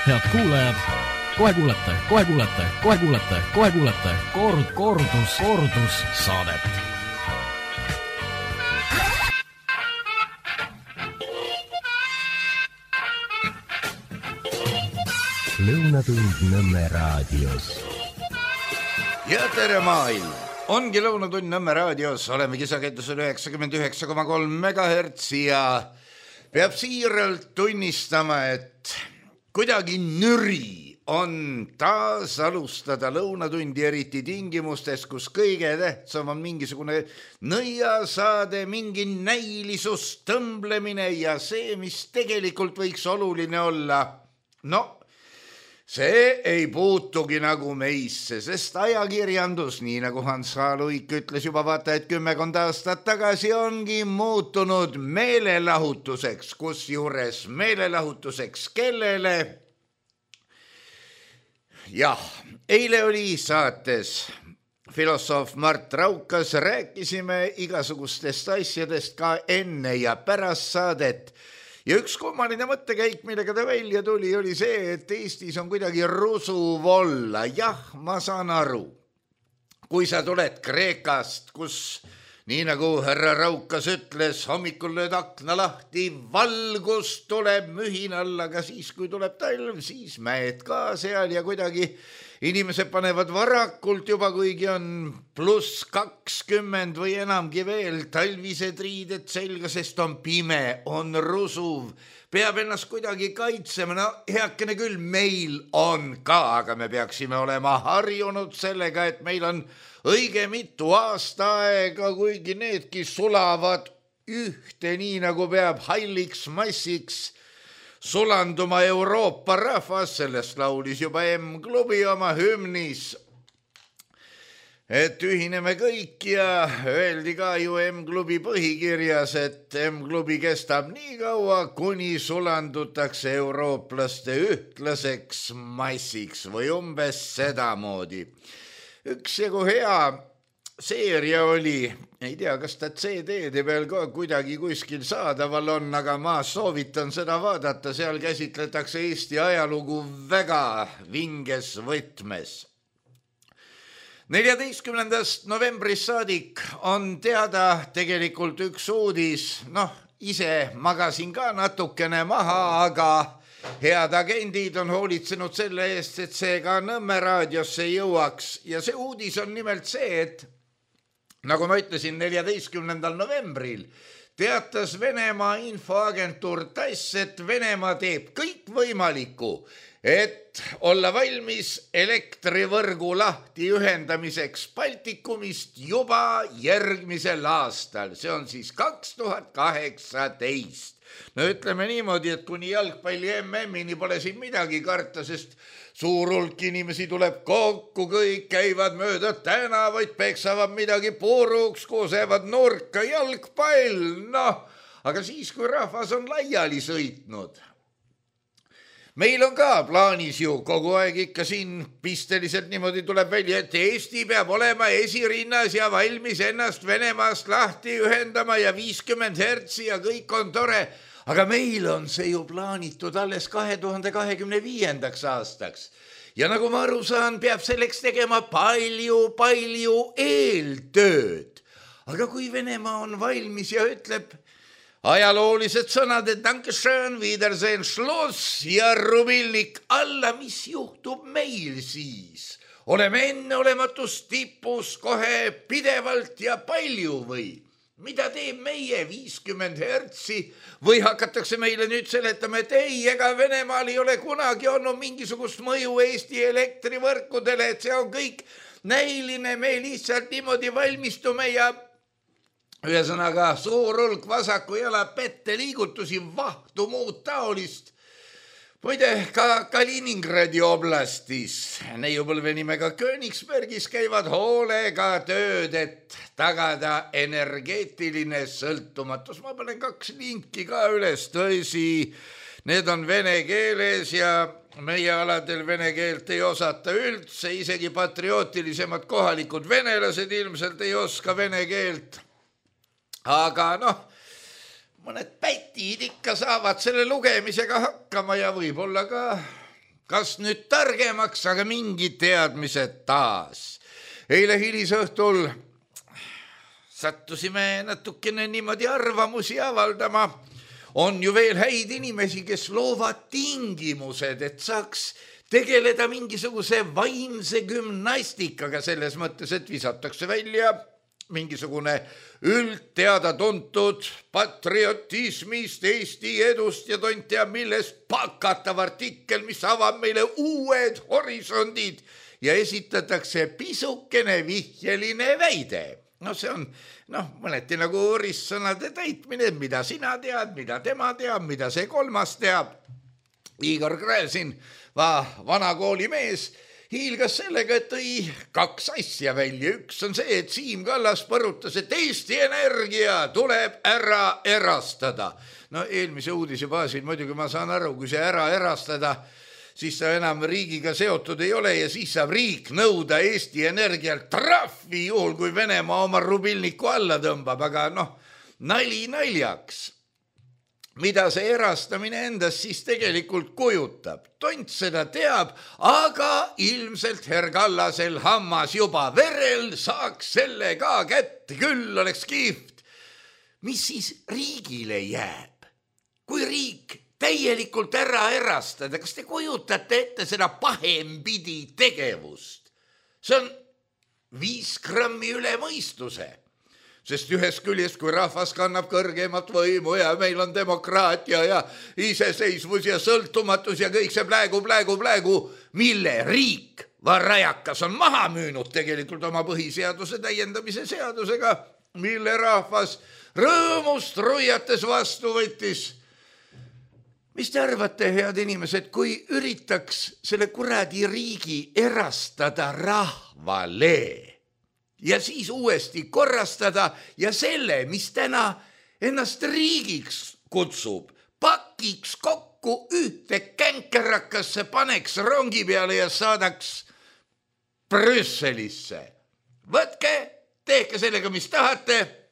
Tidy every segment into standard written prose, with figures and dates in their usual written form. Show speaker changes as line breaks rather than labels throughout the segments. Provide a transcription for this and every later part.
Head kuulajad, kohe kuulete kordus saadet.
Lõunatund Nõmme raadios.
Ja tere maailm! Ongi Lõunatund Nõmme raadios, oleme kisakettusel 99,3 MHz ja peab siiralt tunnistama, et kuidagi nüri on taas alustada lõunatundi, eriti tingimustes, kus kõige tähtsam on mingisugune nõiasaade, mingi näilisus, tõmblemine ja see, mis tegelikult võiks oluline olla. No, see ei puutugi nagu meisse, sest ajakirjandus, nii nagu Hans H. Luik ütles juba vaata, et 10 aastat tagasi ongi muutunud meelelahutuseks, kusjuures meelelahutuseks kellele? Jah, eile oli saates filosoof Mart Raukas, rääkisime igasugustest asjadest ka enne ja pärast saadet. Ja üks kummaline mõttekäik, millega ta välja tuli, oli see, et Eestis on kuidagi rusuv olla. Jah, ma saan aru. Kui sa tuled Kreekast, kus, nii nagu härra Raukas ütles, hommikul lööd akna lahti, valgus tuleb mühin alla, aga siis, kui tuleb talv, siis mäed ka seal ja kuidagi inimesed panevad varakult juba, kuigi on +20 või enamgi veel, talvised riided selga, sest on pime, on rusuv, peab ennast kuidagi kaitsema. No heakene küll, meil on ka, aga me peaksime olema harjunud sellega, et meil on õige mitu aastaaega, kuigi needki sulavad ühte, nii nagu peab halliks massiks sulanduma Euroopa rahvas, sellest laulis juba M-klubi oma hümnis, et ühineme kõik ja öeldi ka ju M-klubi põhikirjas, et M-klubi kestab nii kaua, kuni sulandutakse eurooplaste ühtlaseks massiks või umbes sedamoodi. Üksjagu hea seeria oli, ei tea, kas ta CD-de peal ka kuidagi kuskil saadaval on, aga ma soovitan seda vaadata, seal käsitletakse Eesti ajalugu väga vinges võtmes. 14. novembrist saadik on teada tegelikult üks uudis, ise magasin ka natukene maha, aga head agendid on hoolitsenud selle eest, et see ka Nõmme raadiosse jõuaks ja see uudis on nimelt see, et nagu ma ütlesin, 14. novembril teatas Venemaa infoagentuur TASS, et Venemaa teeb kõik võimalikku, et olla valmis elektrivõrgu lahti ühendamiseks Baltikumist juba järgmisel aastal. See on siis 2018. No ütleme niimoodi, et kuni jalgpalli MM-ini pole siin midagi karta, sest suur hulk inimesi tuleb kokku, kõik käivad mööda tänavaid, peksavad midagi puruks, kusevad nurka, jalgpall, aga siis, kui rahvas on laiali sõitnud. Meil on ka plaanis ju kogu aeg ikka siin pisteliselt niimoodi tuleb välja, et Eesti peab olema esirinnas ja valmis ennast Venemaast lahti ühendama ja 50 hertsi ja kõik on tore. Aga meil on see ju plaanitud alles 2025. aastaks. Ja nagu ma aru saan, peab selleks tegema palju eeltööd. Aga kui Venemaa on valmis ja ütleb ajaloolised sõnad, et Dankeschön, Wiedersehen, Schluss ja rubillik alla, mis juhtub meil siis? Oleme enneolematus tipus kohe pidevalt ja palju või? Mida teeb meie 50 hertsi või hakatakse meile nüüd seletama, et ei, ega Venemaal ei ole kunagi olnud mingisugust mõju Eesti elektrivõrkudele, et see on kõik näiline, me lihtsalt niimoodi valmistume ja ühesõnaga suur hulk vasaku jala pette liigutusi, vahtu muud taolist. Muide, ka Kaliningradi oblastis, neiupõlve nimega Königsbergis käivad hoolega tööd, et tagada energeetiline sõltumatus. Ma panen 2 linki ka üles, tõsi, need on vene keeles ja meie aladel vene keelt ei osata üldse, isegi patriootilisemad kohalikud venelased ilmselt ei oska vene keelt. Aga mõned pätid ikka saavad selle lugemisega hakkama ja võib-olla ka kas nüüd targemaks, aga mingid teadmised taas. Eile hilisõhtul sattusime natukene niimoodi arvamusi avaldama. On ju veel häid inimesi, kes loovad tingimused, et saaks tegeleda mingisuguse vaimse gümnastikaga selles mõttes, et visatakse välja mingisugune üldteada tuntud patriotismist, Eesti edust ja tont teab millest pakatav artikkel, mis avab meile uued horisondid ja esitatakse pisukene vihjeline väide. No see on mõneti nagu ristsõnade täitmine, mida sina tead, mida tema teab, mida see kolmas teab. Igor Gräzin, vana koolimees, hiilgas sellega, et tõi 2 asja välja. Üks on see, et Siim Kallas põrutas, et Eesti Energia tuleb ära erastada. No eelmise uudise baasil muidugi ma saan aru, kui see ära erastada, siis ta enam riigiga seotud ei ole ja siis saab riik nõuda Eesti Energialt trahvi juhul, kui Venemaa oma rubilniku alla tõmbab. Aga nali naljaks. Mida see erastamine endast siis tegelikult kujutab? Tont seda teab, aga ilmselt Herr Kallasel hammas juba verel, saaks selle ka kätte, küll oleks kihvt. Mis siis riigile jääb? Kui riik täielikult ära erastada, kas te kujutate ette seda pahempidi tegevust? See on 5 grammi üle mõistuse. Sest ühest küljest, kui rahvas kannab kõrgemat võimu ja meil on demokraatia ja iseseisvus ja sõltumatus ja kõik see plägu, mille riik varajakas on maha müünud tegelikult oma põhiseaduse täiendamise seadusega, mille rahvas rõõmust ruiates vastu võttis. Mis te arvate, head inimesed, kui üritaks selle kuradi riigi erastada rahvale ja siis uuesti korrastada ja selle, mis täna ennast riigiks kutsub, pakiks kokku ühte känkerakasse, paneks rongi peale ja saadaks Brüsselisse. Võtke, tehke sellega, mis tahate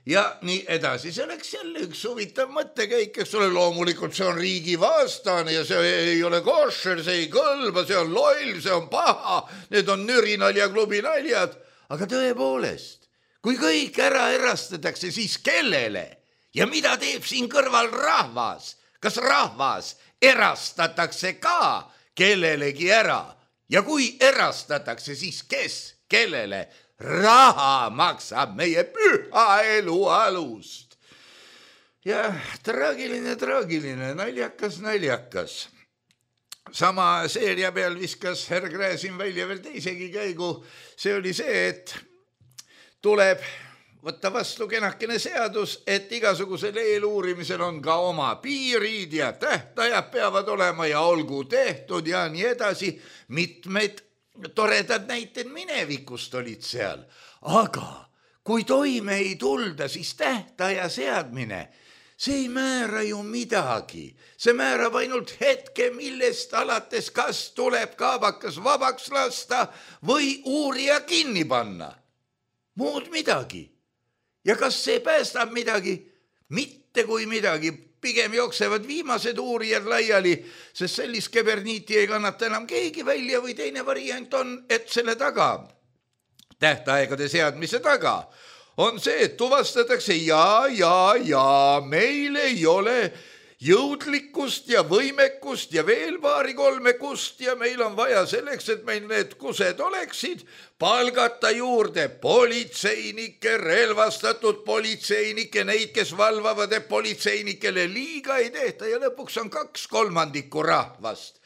ja nii edasi. See oleks jälle üks huvitav mõttekäik, eks ole, loomulikult see on riigi vastane ja see ei ole košer, see ei kõlba, see on loll, see on paha, need on nürinalja klubi naljad. Aga tõepoolest, kui kõik ära erastatakse, siis kellele? Ja mida teeb siin kõrval rahvas? Kas rahvas erastatakse ka kellelegi ära? Ja kui erastatakse, siis kes kellele? Raha maksab meie püha elu alust. Ja traagiline, naljakas. Sama seeria peal viskas Herr Gräzin välja veel teisegi käigu. See oli see, et tuleb võtta vastu kenakene seadus, et igasugusel eeluurimisel on ka oma piirid ja tähtajad peavad olema ja olgu tehtud ja nii edasi. Mitmed toredad näited minevikust olid seal, aga kui toime ei tulda, siis tähtaja seadmine, see ei määra ju midagi. See määrab ainult hetke, millest alates kas tuleb kaabakas vabaks lasta või uurija kinni panna. Muud midagi. Ja kas see päästab midagi? Mitte kui midagi. Pigem jooksevad viimased uurijad laiali, sest sellist keberniiti ei kannata enam keegi välja või teine variant on, et selle taga, tähtaegade seadmise taga, on see, et tuvastatakse ja meil ei ole jõudlikkust ja võimekust ja veel 2-3 kust ja meil on vaja selleks, et meil need kused oleksid, palgata juurde politseinikke, relvastatud politseinikke, neid, kes valvavad, et politseinikele liiga ei tehta ja lõpuks on 2/3 rahvast.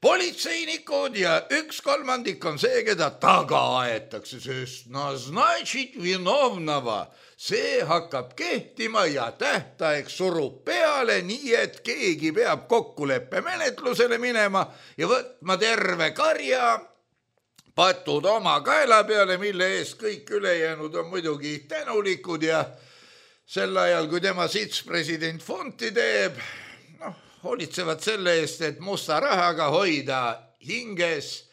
Politseinikud ja 1/3 on see, keda taga aetakse, sest naznačit vinovnava. See hakkab kehtima ja tähtaeg surub peale, nii et keegi peab kokkuleppe menetlusele minema ja võtma terve karja, patud oma kaela peale, mille eest kõik ülejäänud on muidugi tänulikud ja sel ajal, kui tema sits president fonti teeb, hoolitsevad selle eest, et musta rahaga hoida hinges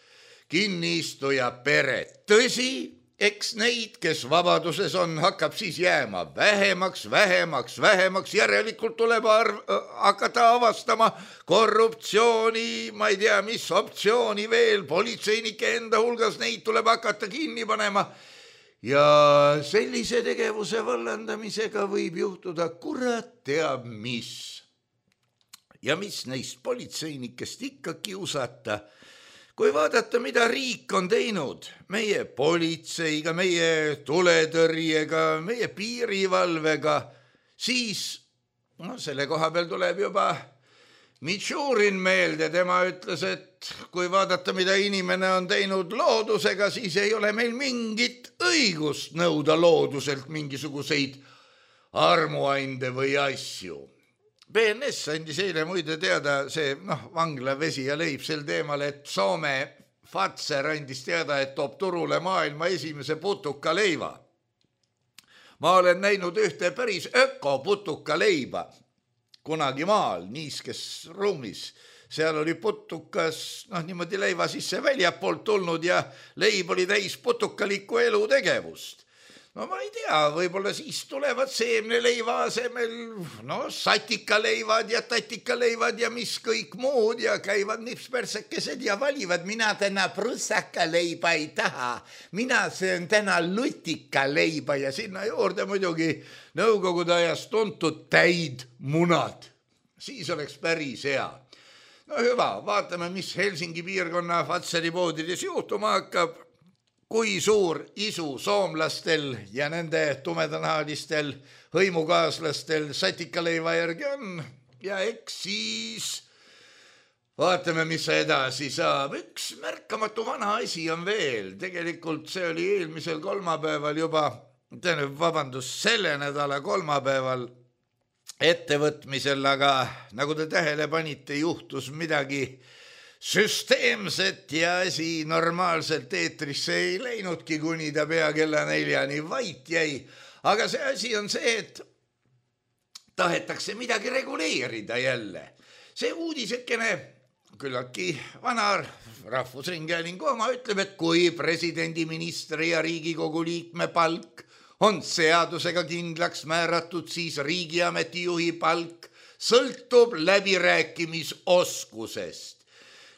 kinniistuja peret. Tõsi, eks neid, kes vabaduses on, hakkab siis jääma vähemaks, järelikult tuleb hakata avastama korruptsiooni, ma ei tea, mis optsiooni veel, politseinike enda hulgas, neid tuleb hakata kinni panema. Ja sellise tegevuse vallandamisega võib juhtuda kurat teab mis. Ja mis neist politseinikest ikka kiusata. Kui vaadata, mida riik on teinud meie politseiga, meie tuletõrjega, meie piirivalvega, siis selle koha peal tuleb juba Mitšurin meelde. Tema ütles, et kui vaadata, mida inimene on teinud loodusega, siis ei ole meil mingit õigust nõuda looduselt mingisuguseid armuainde või asju. BNS andis eile muide teada see vangla vesi ja leib sel teemal, et Soome Fazer andis teada, et toob turule maailma esimese putukaleiva. Ma olen näinud ühte päris ökoputukaleiba kunagi maal, niiskes ruumis. Seal oli putukas niimoodi leiva sisse väljapoolt tulnud ja leib oli täis putukalikku elutegevust. No ma ei tea, võib-olla siis tulevad seemneleiva asemel satikaleivad ja tatikaleivad ja mis kõik muud ja käivad nipspersekesed ja valivad. Mina täna prussakaleiba ei taha, mina söön täna lutikaleiba ja sinna juurde muidugi nõukogude ajast tuntud täid munad. Siis oleks päris hea. No hüva, vaatame, mis Helsingi piirkonna Fazeri poodides juhtuma hakkab. Kui suur isu soomlastel ja nende tumedanaalistel hõimukaaslastel satikaleiva järgi on. Ja eks siis vaatame, mis edasi saab. Üks märkamatu vana asi on veel. Tegelikult see oli eelmisel kolmapäeval juba, selle nädala kolmapäeval ettevõtmisel, aga nagu te tähele panite, juhtus midagi süsteemset ja asi normaalselt eetrisse ei läinudki, kuni ta pea kella 4 vait jäi. Aga see asi on see, et tahetakse midagi reguleerida jälle. See uudisekene, küllaltki vana Rahvusringhäälingu oma, ütleb, et kui presidendi, ministri ja Riigikogu liikme palk on seadusega kindlaks määratud, siis riigiameti juhi palk sõltub läbirääkimisoskusest.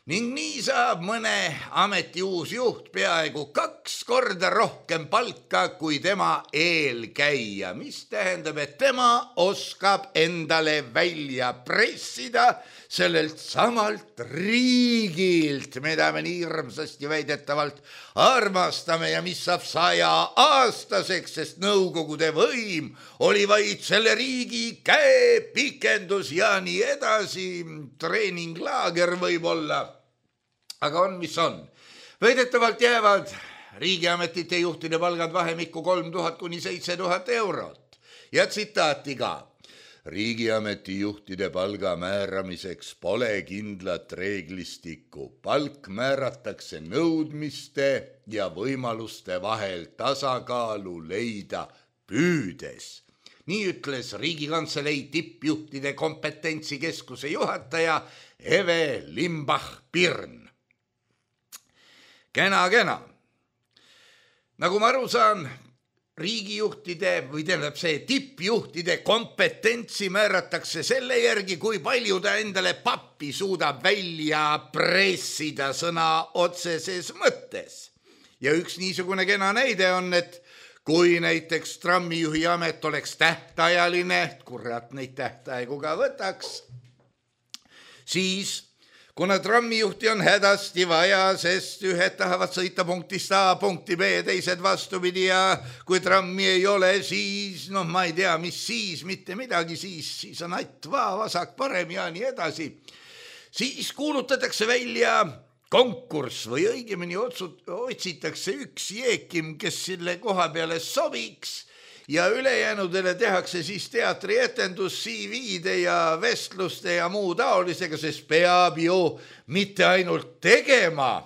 Ning nii saab mõne ameti uus juht peaaegu 2 korda rohkem palka kui tema eelkäija, mis tähendab, et tema oskab endale välja pressida sellelt samalt riigilt, mida me nii hirmsasti väidetavalt armastame ja mis saab 100-aastaseks, sest nõukogude võim oli vaid selle riigi käepikendus ja nii edasi, treeninglaager võib olla. Aga on, mis on. Väidetavalt jäävad riigiametite juhtide palgad vahemikku 3000 kuni 7000 eurot. Ja tsitaati ka. Riigiameti juhtide palga määramiseks pole kindlat reeglistikku. Palk määratakse nõudmiste ja võimaluste vahel tasakaalu leida püüdes. Nii ütles Riigikantselei tippjuhtide kompetentsikeskuse juhataja Eve Limbach-Pirn. Kena. Nagu ma aru saan, riigijuhtide või tähendab see tippjuhtide kompetentsi määratakse selle järgi, kui palju ta endale pappi suudab välja pressida sõna otseses mõttes. Ja üks niisugune kena näide on, et kui näiteks trammijuhi amet oleks tähtajaline, kurat neid tähtaegu ka võtaks, siis kuna trammijuhti on hädasti vaja, sest ühed tahavad sõita punktist A punkti B, teised vastupidi ja kui trammi ei ole, siis ma ei tea, mis siis, mitte midagi, siis on atva, vasak, parem ja nii edasi. Siis kuulutatakse välja konkurss või õigemini otsitakse üks jeekim, kes selle koha peale sobiks ja ülejäänudele tehakse siis teatrietendus CV-de ja vestluste ja muu taolisega, sest peab ju mitte ainult tegema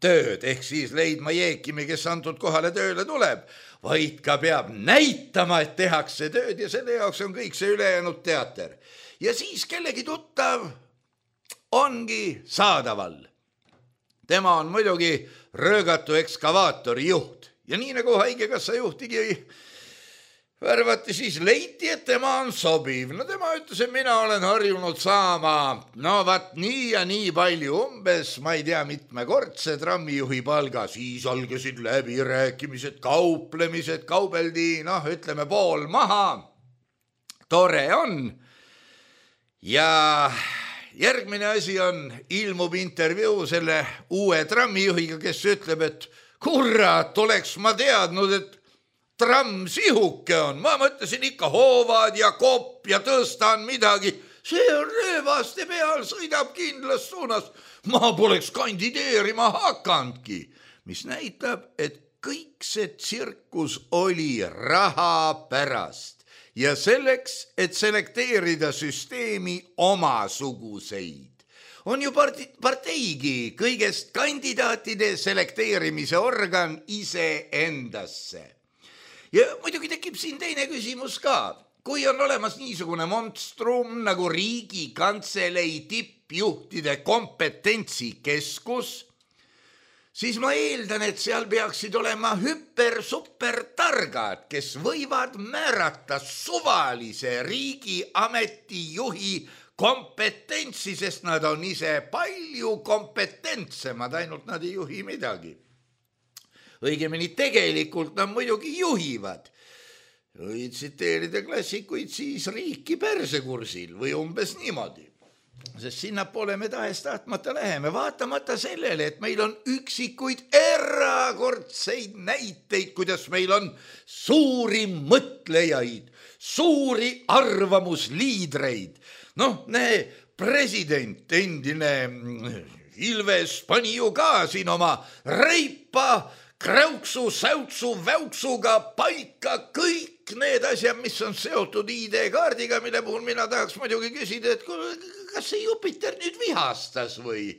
tööd, ehk siis leidma jeekimi, kes antud kohale tööle tuleb, vaid ka peab näitama, et tehakse tööd ja selle jaoks on kõik see ülejäänud teater. Ja siis kellegi tuttav ongi saadaval. Tema on muidugi röögatu ekskavaatori juht ja nii nagu haigekassa juhtigi värvati, siis leiti, et tema on sobiv. No tema ütles, et mina olen harjunud saama, no vaat nii ja nii palju, umbes, ma ei tea, mitmekordse trammijuhi palga. Siis algasid läbirääkimised, kauplemised, kaubeldi, noh, ütleme pool maha. Tore on. Ja järgmine asi on, ilmub intervjuu selle uue trammijuhiga, kes ütleb, et kurat, oleks ma teadnud, et tramm sihuke on. Ma mõtlesin ikka hoovad ja kopp ja tõstan midagi. See on röövaste peal, sõidab kindlas suunas. Ma poleks kandideerima hakanudki. Mis näitab, et kõik see tsirkus oli raha pärast. Ja selleks, et selekteerida süsteemi omasuguseid. On ju parteigi kõigest kandidaatide selekteerimise organ ise endasse. Ja muidugi tekib siin teine küsimus ka. Kui on olemas niisugune monstrum nagu Riigikantselei tippjuhtide kompetentsikeskus, siis ma eeldan, et seal peaksid olema super-targad, kes võivad määrata suvalise riigiametijuhi kompetentsi, sest nad on ise palju kompetentsemad, ainult nad ei juhi midagi. Õigemini tegelikult nad muidugi juhivad. Või tsiteerida klassikuid, siis riiki persekursil või umbes niimoodi. Sest sinnapoole me tahes-tahtmata läheme, vaatamata sellele, et meil on üksikuid erakordseid näiteid, kuidas meil on suuri mõtlejaid, suuri arvamusliidreid. Noh, president, endine Ilves pani ju ka siin oma reipa, kräuksu, säutsu, väuksuga paika kõik need asjad, mis on seotud ID-kaardiga, mille puhul mina tahaks muidugi küsida, et kas see Jupiter nüüd vihastas või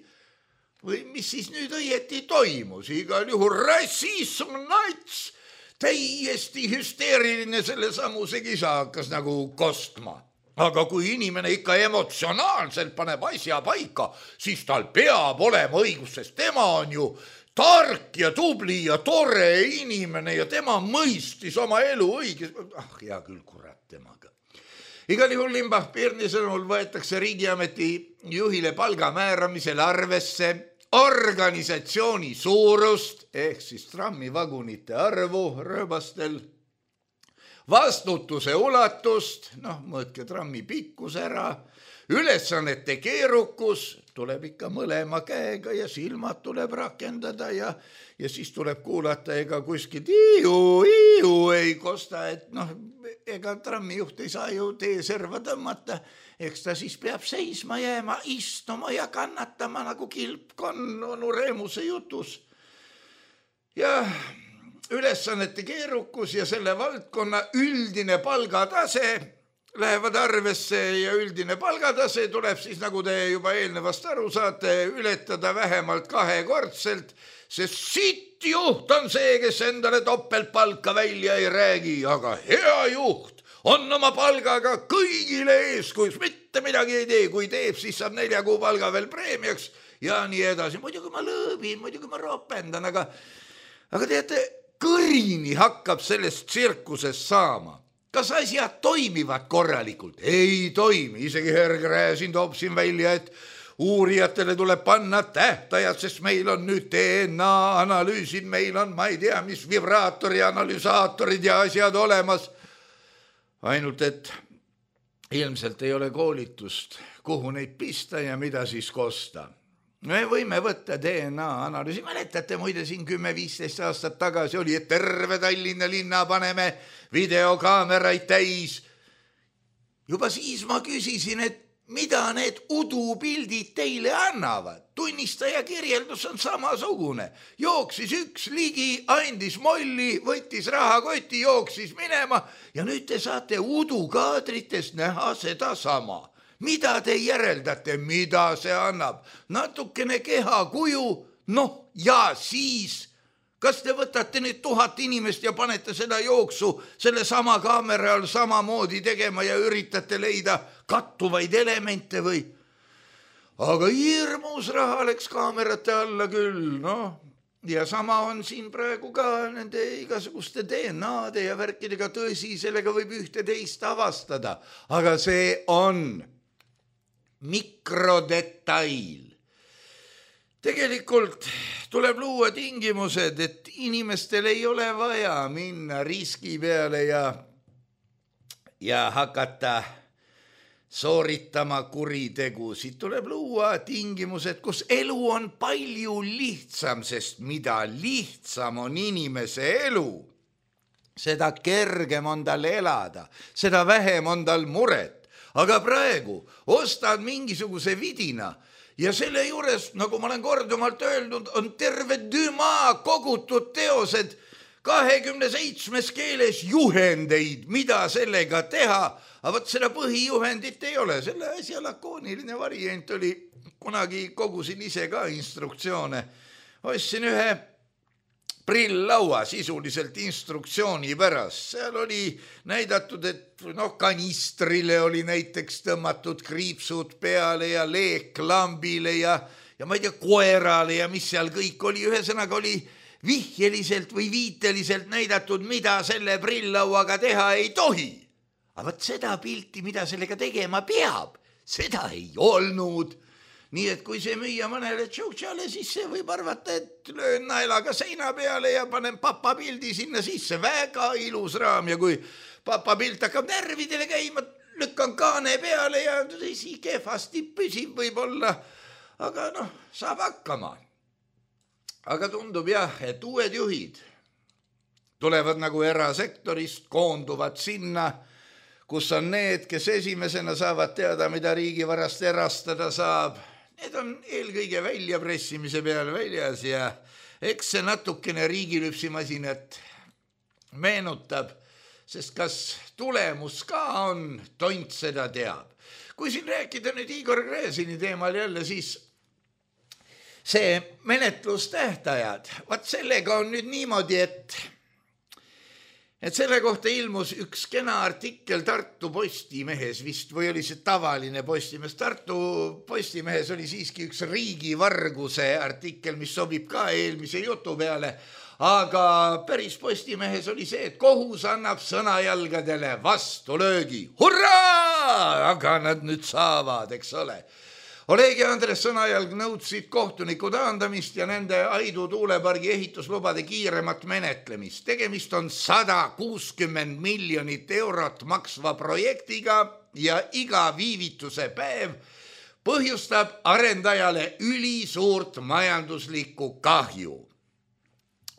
mis siis nüüd õieti toimus. Igal juhul rassism, nats, täiesti hüsteeriline selle samuse kisa hakkas nagu kostma. Aga kui inimene ikka emotsionaalselt paneb asja paika, siis tal peab olema õigus, sest tema on ju tark ja tubli ja tore inimene ja tema mõistis oma elu õiges. Hea küll, kurat temaga. Igal juhul Limbach-Pirni sõnul võetakse riigiameti juhile palga määramisel arvesse organisatsiooni suurust ehk siis trammivagunite arvu rööbastel, vastutuse ulatust, mõõtke trammi pikkus ära, ülesannete keerukus, tuleb ikka mõlema käega ja silmad tuleb rakendada ja siis tuleb kuulata, ega kuskilt iiu ei kosta, et ega trammijuht ei saa ju teeserva tõmmata, eks ta siis peab seisma jääma, istuma ja kannatama nagu kilpkonn onu Reemuse jutus. Ja ülesannete keerukus ja selle valdkonna üldine palgatase lähevad arvesse ja üldine palgatase tuleb siis, nagu te juba eelnevast aru saate, ületada vähemalt 2-kordselt, sest sitt juht on see, kes endale topeltpalka välja ei räägi, aga hea juht on oma palgaga kõigile eeskujuks, mitte midagi ei tee, kui teeb, siis saab 4 kuu palga veel preemiaks ja nii edasi. Muidugi ma lõõbin, muidugi ma ropendan, aga teate, kõrini hakkab sellest tsirkusest saama. Kas asjad toimivad korralikult? Ei toimi, isegi Hergre siin toob siin välja, et uurijatele tuleb panna tähtajad, sest meil on nüüd DNA analüüsid, meil on, ma ei tea, mis vibraatori analüsaatorid ja asjad olemas. Ainult, et ilmselt ei ole koolitust, kuhu neid pista ja mida siis kosta. Me võime võtta DNA analüüsi, mäletate muide siin 10-15 aastat tagasi oli, et terve Tallinna linna paneme videokaameraid täis. Juba siis ma küsisin, et mida need udupildid teile annavad. Tunnistaja kirjeldus on samasugune. Jooksis üks ligi, andis molli, võttis rahakoti, jooksis minema ja nüüd te saate udukaadritest näha seda sama. Mida te järeldate, mida see annab? Natukene kehakuju, ja siis, kas te võtate nüüd 1000 inimest ja panete seda jooksu selle sama kaamera all samamoodi tegema ja üritate leida kattuvaid elemente või? Aga hirmus raha läks kaamerate alla küll, ja sama on siin praegu ka nende igasuguste DNA-de ja värkidega, tõsi, sellega võib ühte teist avastada, aga see on mikrodetail. Tegelikult tuleb luua tingimused, et inimestel ei ole vaja minna riski peale ja hakata sooritama kuritegusid. Tuleb luua tingimused, kus elu on palju lihtsam, sest mida lihtsam on inimese elu, seda kergem on tal elada, seda vähem on tal muret. Aga praegu ostad mingisuguse vidina ja selle juures, nagu ma olen korduvalt öelnud, on terve dümaa kogutud teosed 27 keeles juhendeid, mida sellega teha, aga võt seda põhijuhendit ei ole. Selle asja lakooniline variant oli, kunagi kogusin ise ka instruktsioone. Ostsin ühe prilllaua sisuliselt instruktsiooni pärast. Seal oli näidatud, et kanistrile oli näiteks tõmmatud kriipsud peale ja leeklambile ja ma ei tea, koerale ja mis seal kõik oli. Ühesõnaga oli vihjeliselt või viiteliselt näidatud, mida selle prilllauaga teha ei tohi. Aga võt seda pilti, mida sellega tegema peab, seda ei olnud. Nii et kui see müüa mõnele tšautšale, siis see võib arvata, et löön naelaga seina peale ja panen papa pildi sinna sisse. Väga ilus raam ja kui papa pilt hakkab närvidele käima, lükkan kaane peale ja tõsi kehvasti püsib võib-olla. Aga saab hakkama. Aga tundub jah, et uued juhid tulevad nagu erasektorist, koonduvad sinna, kus on need, kes esimesena saavad teada, mida riigivarast erastada saab. Need on eelkõige väljapressimise peale väljas ja eks see natukene riigilüpsimasinat meenutab, sest kas tulemus ka on, tont seda teab. Kui siin rääkida nüüd Igor Gräzini teemal jälle, siis see menetlustähtajad, vaat sellega on nüüd niimoodi, et selle kohta ilmus üks kena artikkel Tartu Postimehes vist, või oli see tavaline Postimees. Tartu Postimehes oli siiski üks riigivarguse artikkel, mis sobib ka eelmise jutu peale, aga päris Postimehes oli see, et kohus annab sõnajalgadele vastulöögi. Hurraa! Aga nad nüüd saavad, eks ole. Oleg ja Andres Sõnajalg nõudsid kohtuniku taandamist ja nende Aidu tuulepargi ehituslubade kiiremat menetlemist. Tegemist on 160 miljonit eurot maksva projektiga ja iga viivituse päev põhjustab arendajale ülisuurt majanduslikku kahju.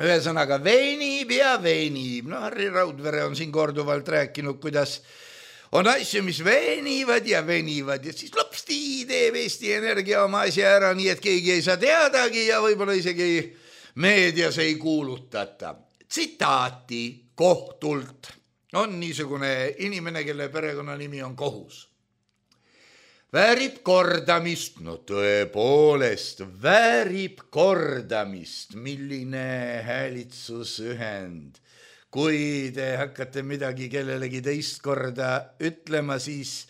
Ühesõnaga venib ja venib. Harri Raudvere on siin korduvalt rääkinud, kuidas on asju, mis venivad ja siis lopsti teeb Eesti Energia oma asja ära, nii et keegi ei saa teadagi ja võib-olla isegi meedias ei kuulutata. Tsitaati kohtult on niisugune inimene, kelle perekonnanimi on Kohus. Väärib kordamist, tõepoolest, väärib kordamist, milline häälitsusühend. Kui te hakkate midagi kellelegi teist korda ütlema, siis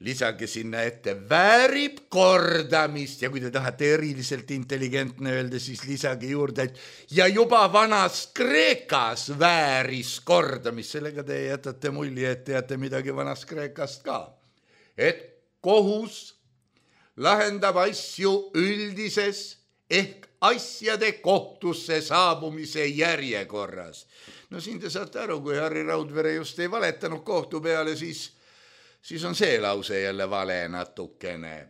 lisage sinna ette väärib kordamist ja kui te tahate eriliselt intelligentne öelda, siis lisage juurde, et ja juba vanas Kreekas vääris kordamist. Sellega te jätate mulje, et teate midagi vanas Kreekast ka. Et kohus lahendab asju üldises ehk asjade kohtusse saabumise järjekorras. Siin te saate aru, kui Harri Raudvere just ei valetanud kohtu peale, siis on see lause jälle vale natukene.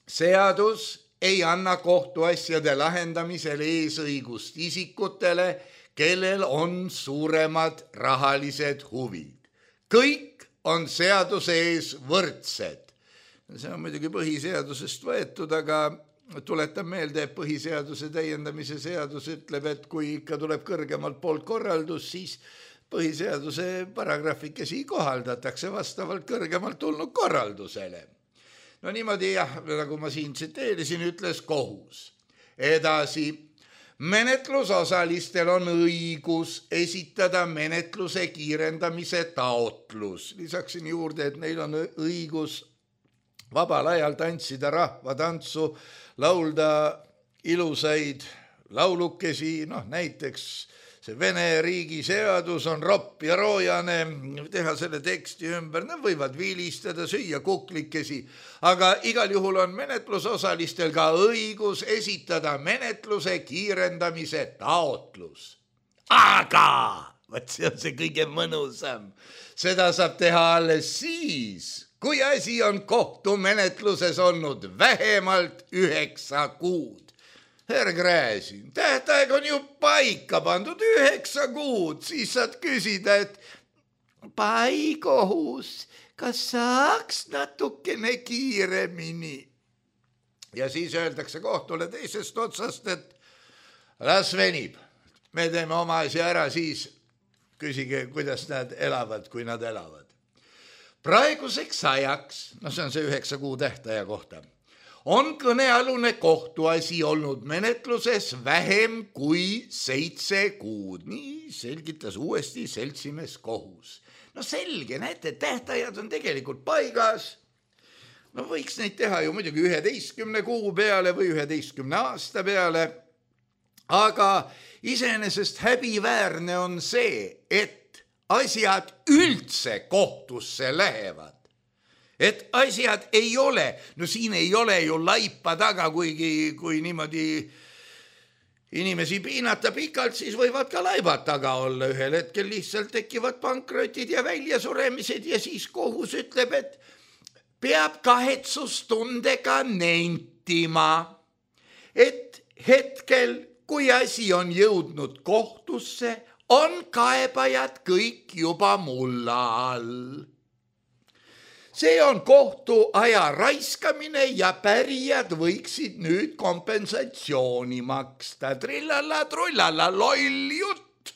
Seadus ei anna kohtuasjade lahendamisel eesõigust isikutele, kellel on suuremad rahalised huvid. Kõik on seaduse ees võrdsed. See on muidugi põhiseadusest võetud, aga tuletan meelde, et põhiseaduse täiendamise seadus ütleb, et kui ikka tuleb kõrgemalt poolt korraldus, siis põhiseaduse paragrahvikesi kohaldatakse vastavalt kõrgemalt tulnud korraldusele. Niimoodi jah, nagu ma siin tsiteerisin, ütles kohus. Edasi, menetlusosalistel on õigus esitada menetluse kiirendamise taotlus. Lisaksin juurde, et neil on õigus vabal ajal tantsida rahvatantsu, laulda ilusaid laulukesi, näiteks see Vene riigi seadus on ropp ja roojane, teha selle teksti ümber, nad võivad vilistada, süüa kuklikesi, aga igal juhul on menetlusosalistel ka õigus esitada menetluse kiirendamise taotlus. Aga, võt see on see kõige mõnusam, seda saab teha alles siis, kui asi on kohtumenetluses olnud vähemalt 9 kuud. Herr Gräzin, tähtaeg on ju paika pandud 9 kuud, siis saad küsida, et pai kohus, kas saaks natukene kiiremini? Ja siis öeldakse kohtule teisest otsast, et las venib. Me teeme oma asja ära, siis küsige, kuidas nad elavad, kui nad elavad. Praeguseks ajaks, see on see 9 kuu tähtaja kohta, on kõnealune kohtuasi olnud menetluses vähem kui 7 kuud. Nii selgitas uuesti seltsimees kohus. Selge, näete, tähtajad on tegelikult paigas. Võiks neid teha ju muidugi 11 kuu peale või 11 aasta peale. Aga iseenesest häbiväärne on see, et asjad üldse kohtusse lähevad. Et asjad ei ole, siin ei ole ju laipa taga, kui niimoodi inimesi piinata pikalt, siis võivad ka laibad taga olla. Ühel hetkel lihtsalt tekivad pankrotid ja väljasuremised ja siis kohus ütleb, et peab kahetsustundega nentima, et hetkel, kui asi on jõudnud kohtusse, on kaebajad kõik juba mulla all. See on kohtu aja raiskamine ja pärijad võiksid nüüd kompensatsiooni maksta. Trillala, trullala, loll jutt.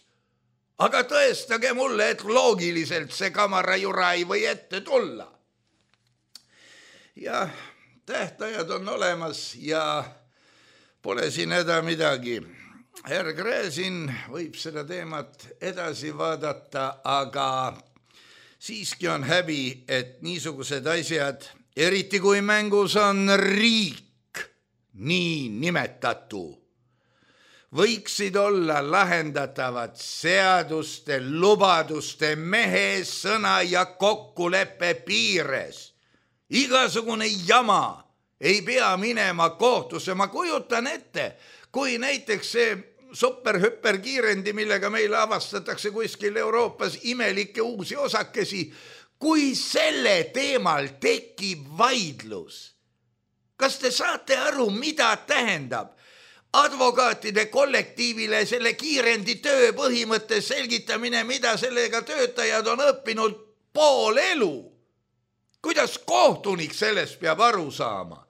Aga tõestage mulle, et loogiliselt see kamarajura ei või ette tulla. Ja tähtajad on olemas ja pole siin häda midagi. Herr Gräzin võib seda teemat edasi vaadata, aga siiski on häbi, et niisugused asjad, eriti kui mängus on riik, nii nimetatu, võiksid olla lahendatavad seaduste, lubaduste, mehe sõna ja kokkuleppe piires. Igasugune jama ei pea minema kohtusse. Ma kujutan ette, kui näiteks see superhüperkiirendi, millega meile avastatakse kuskil Euroopas imelikke uusi osakesi, kui selle teemal tekib vaidlus. Kas te saate aru, mida tähendab advokaatide kollektiivile selle kiirendi töö põhimõtte selgitamine, mida sellega töötajad on õppinud pool elu? Kuidas kohtunik sellest peab aru saama?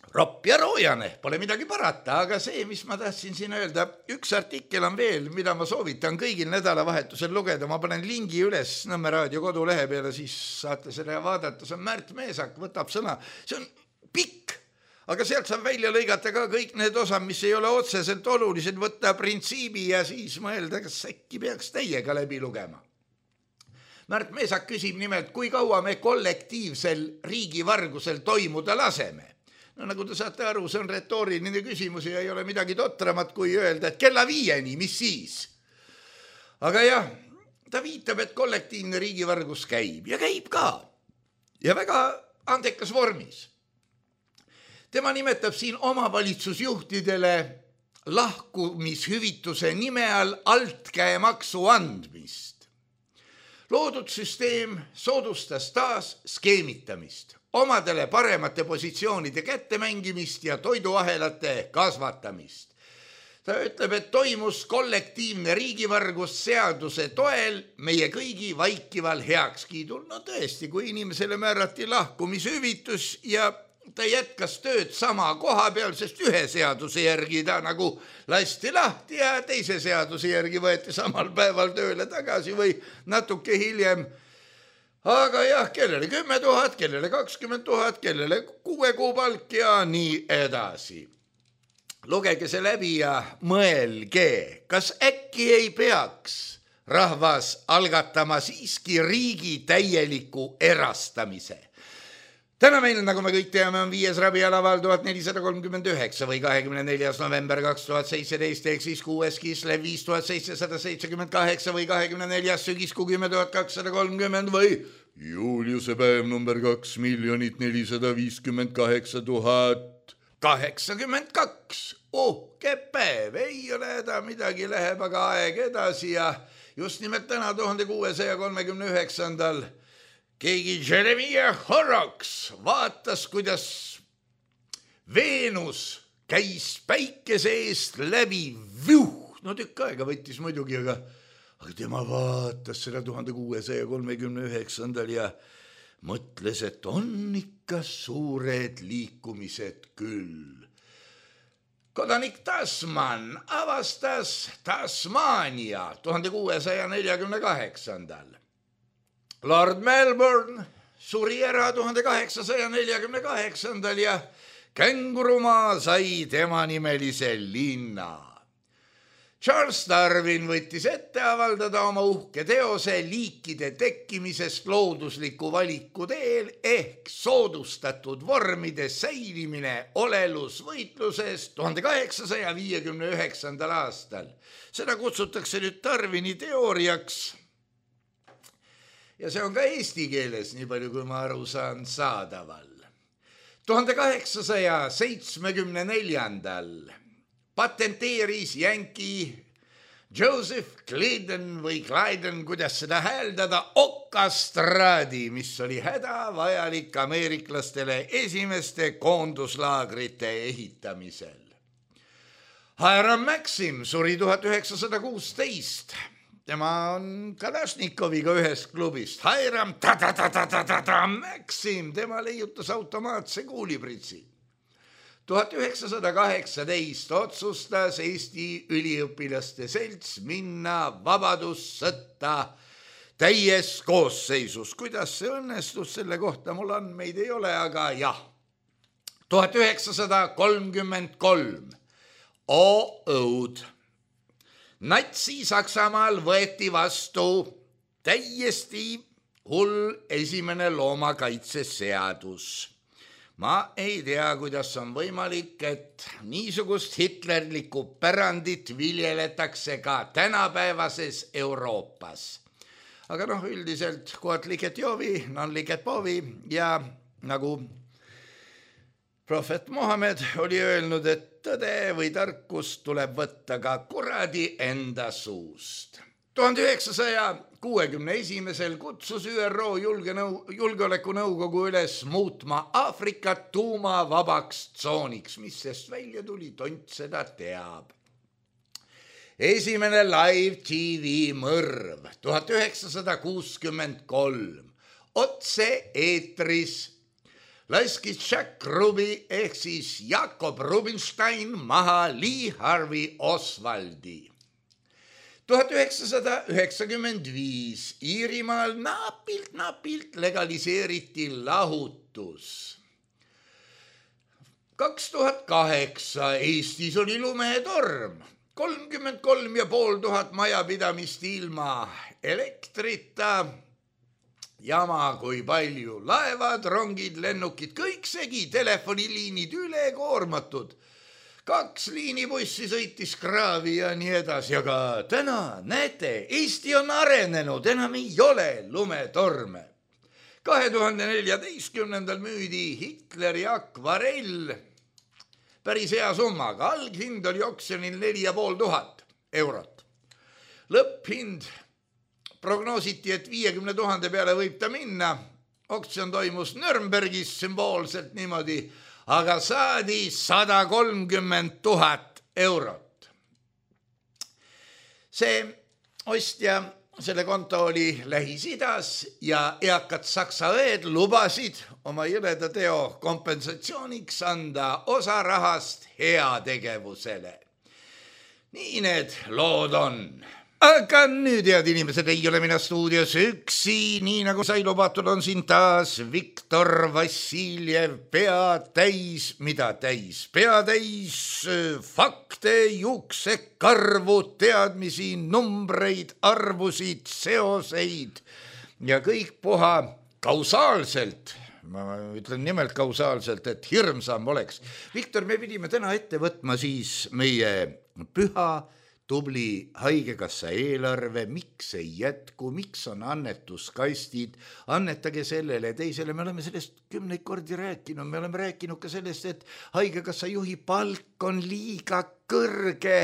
Ropp ja roojane, pole midagi parata, aga see, mis ma tahtsin siin öelda, üks artikkel on veel, mida ma soovitan kõigil nädalavahetusel lugeda. Ma panen lingi üles Nõmme raadio kodulehe peale, siis saate selle vaadata. See on Märt Meesak, võtab sõna. See on pikk, aga sealt saab välja lõigata ka kõik need osad, mis ei ole otseselt olulised, võtta printsiibi ja siis mõelda, kas äkki peaks täiega läbi lugema. Märt Meesak küsib nimelt, kui kaua me kollektiivsel riigivargusel toimuda laseme. Nagu te saate aru, see on retooriline küsimus ja ei ole midagi totramat, kui öelda, et kella 5, mis siis? Aga jah, ta viitab, et kollektiivne riigivargus käib ja käib ka. Ja väga andekas vormis. Tema nimetab siin omavalitsusjuhtidele lahkumishüvituse nime all altkäemaksu andmist. Loodud süsteem soodustas taas skeemitamist, omadele paremate positsioonide kättemängimist ja toiduahelate kasvatamist. Ta ütleb, et toimus kollektiivne riigivargus seaduse toel meie kõigi vaikival heakskiidul. Tõesti, kui inimesele määrati lahkumishüvitus ja ta jätkas tööd sama koha peal, sest ühe seaduse järgi ta nagu lasti lahti ja teise seaduse järgi võeti samal päeval tööle tagasi või natuke hiljem. Aga jah, kellele 10 000, kellele 20 000, kellele 6 kuu palk ja nii edasi. Lugege see läbi ja mõelge, kas äkki ei peaks rahvas algatama siiski riigi täieliku erastamise. Täna meil, nagu me kõik teame, on 5. rabialaval 1439 või 24. november 2017 ehk siis 6. Kislev 5778 või 24. sügiskuu 10 230 või Juliuse päev number 2 458 082. Uhke päev, ei ole häda midagi, läheb aga aeg edasi ja just nimelt täna 1639. keegi Jeremiah Horrocks vaatas, kuidas Veenus käis päikese eest läbi no tükk aega võttis muidugi, aga tema vaatas seda 1639. ja mõtles, et on ikka suured liikumised küll. Kodanik Tasman avastas Tasmania 1648. Lord Melbourne suri ära 1848. ja Kängurumaa sai tema nimelise linna. Charles Darwin võttis ette avaldada oma uhke teose liikide tekkimisest loodusliku valiku teel ehk soodustatud vormide säilimine olelusvõitluses 1859. aastal. Seda kutsutakse nüüd Darwini teooriaks. Ja see on ka eesti keeles, nii palju kui ma aru saan, saadaval. 1874. patenteeris jänki Joseph Clayden või Clyden, kuidas seda hääldada, okastraadi, mis oli hädavajalik ameeriklastele esimeste koonduslaagrite ehitamisel. Hiram Maxim suri 1916. Tema on Kalašnikoviga ühest klubist. Hiram Maxim, tema leiutas automaatse kuulipritsi. 1918 otsustas Eesti üliõpilaste selts minna vabadussõtta täies koosseisus. Kuidas see õnnestus, selle kohta mul andmeid ei ole, aga jah. 1933. Õud. Natsi-Saksamaal võeti vastu täiesti hull esimene loomakaitseseadus. Ma ei tea, kuidas on võimalik, et niisugust hitlerlikku pärandit viljeletakse ka tänapäevases Euroopas. Aga üldiselt quod licet Jovi, non licet Bovi ja nagu prohvet Mohamed oli öelnud, et tõde või tarkust tuleb võtta ka kuradi enda suust. 1961. kutsus ÜRO julgeolekunõukogu üles muutma Aafrikat tuumavabaks tsooniks, mis sest välja tuli, tont seda teab. Esimene live TV mõrv 1963. Otse eetris laskis Jack Ruby ehk siis Jakob Rubinstein maha Lee Harvey Oswaldi. 1995 Iirimaal napilt legaliseeriti lahutus. 2008 Eestis oli lumetorm. 33 500 majapidamist ilma elektrita. Jama kui palju. Laevad, rongid, lennukid, kõik segi, telefoniliinid ülekoormatud. 2 liinibussi sõitis kraavi ja nii edasi, aga täna, näete, Eesti on arenenud, enam ei ole lumetorme. 2014. müüdi Hitleri akvarell päris hea summaga, alghind oli oksjonil 4500 eurot. Lõpphind prognoositi, et 50 000 peale võib ta minna, oksjon toimus Nürnbergis sümboolselt niimoodi, aga saadi 130 000 eurot. See ostja, selle konto oli Lähis-Idas ja eakad saksa õed lubasid oma jõleda teo kompensatsiooniks anda osa rahast heategevusele. Nii need lood on. Aga nüüd, head inimesed, ei ole mina stuudios üksi, nii nagu sai lubatud, on siin taas Viktor Vassiljev, pea täis fakte, juuksekarvu, teadmisi, numbreid, arvusid, seoseid ja kõik puha kausaalselt ma ütlen nimelt kausaalselt, et hirmsam oleks. Viktor, me pidime täna ette võtma siis meie püha tubli haigekassa eelarve, miks ei jätku, miks on annetuskastid, annetage sellele teisele, me oleme sellest 10 kordi rääkinud, me oleme rääkinud ka sellest, et haigekassa juhi palk on liiga kõrge,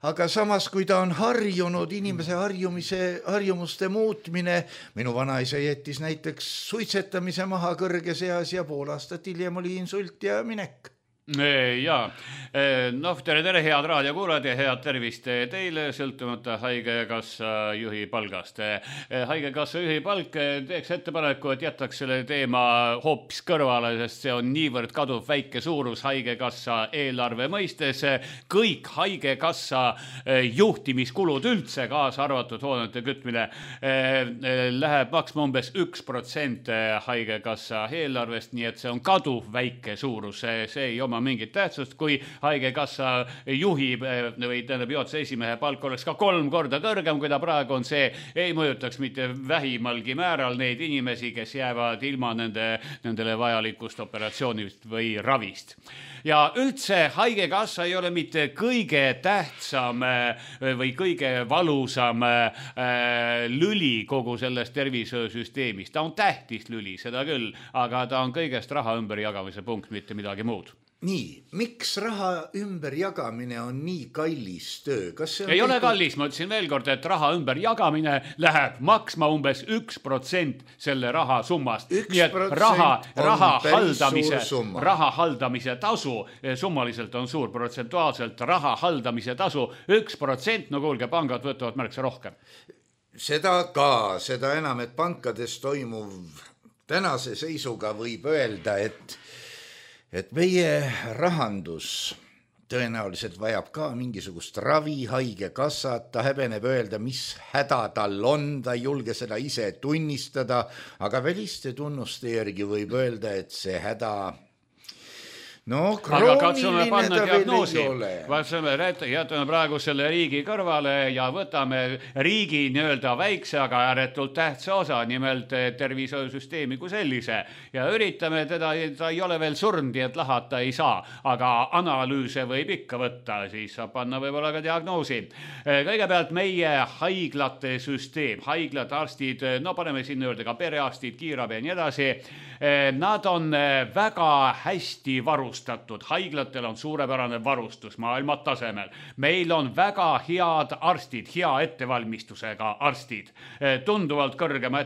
aga samas, kui ta on harjunud, inimese harjumuste muutmine, minu vanaisa jättis näiteks suitsetamise maha kõrges eas ja pool aastat hiljem oli insult ja minek.
Jaa, tere, head raadiokuulajad ja head tervist teile, sõltumata haigekassa juhi palgast. Haigekassa juhi palk teeks ettepaneku, et jätaks selle teema hoopis kõrvale, sest see on niivõrd kaduv väike suurus haigekassa eelarve mõistes. Kõik haigekassa juhtimiskulud üldse, kaasa arvatud hoonete kütmine, läheb maksma umbes 1% haigekassa eelarvest, nii et see on kaduv väike suurus, see ei oma mingit tähtsust, kui haigekassa juhi või juhatuse esimehe palk oleks ka 3 korda kõrgem, kui ta praegu on, see ei mõjutaks mitte vähimalgi määral neid inimesi, kes jäävad ilma nendele vajalikust operatsioonist või ravist. Ja üldse haigekassa ei ole mitte kõige tähtsam või kõige valusam lüli kogu sellest tervishoiusüsteemist. Ta on tähtis lüli, seda küll, aga ta on kõigest raha ümberjagamise punkt, mitte midagi muud.
Nii, miks raha ümberjagamine on nii kallis töö?
Ei ole kallis, ma ütlesin veel kord, et raha ümberjagamine läheb maksma umbes 1% selle raha summast. Nii et raha haldamise tasu, summaliselt on suur, protsentuaalselt raha haldamise tasu 1%, no kuulge, pangad võtavad märksa rohkem.
Seda enam, et pankades toimuv tänase seisuga võib öelda, et meie rahandus tõenäoliselt vajab ka mingisugust ravi, haigekassat, ta häbeneb öelda, mis häda tal on, ta ei julge seda ise tunnistada, aga väliste tunnuste järgi võib öelda, et see häda
aga katsume panna diagnoosi. Jätame praegu selle riigi kõrvale ja võtame riigi nii-öelda väikse, aga ääretult tähtsa osa, nimelt tervishoiusüsteemi kui sellise. Ja üritame teda, ta ei ole veel surnud, et lahata ei saa, aga analüüse võib ikka võtta, siis saab panna võib-olla ka diagnoosi. Kõigepealt meie haiglate süsteem, haiglad, arstid, paneme sinna juurde ka perearstid, kiirabi ja nii edasi. Nad on väga hästi varustatud. Haiglatel on suurepärane varustus maailma tasemel. Meil on väga head arstid, hea ettevalmistusega arstid. Tunduvalt kõrgema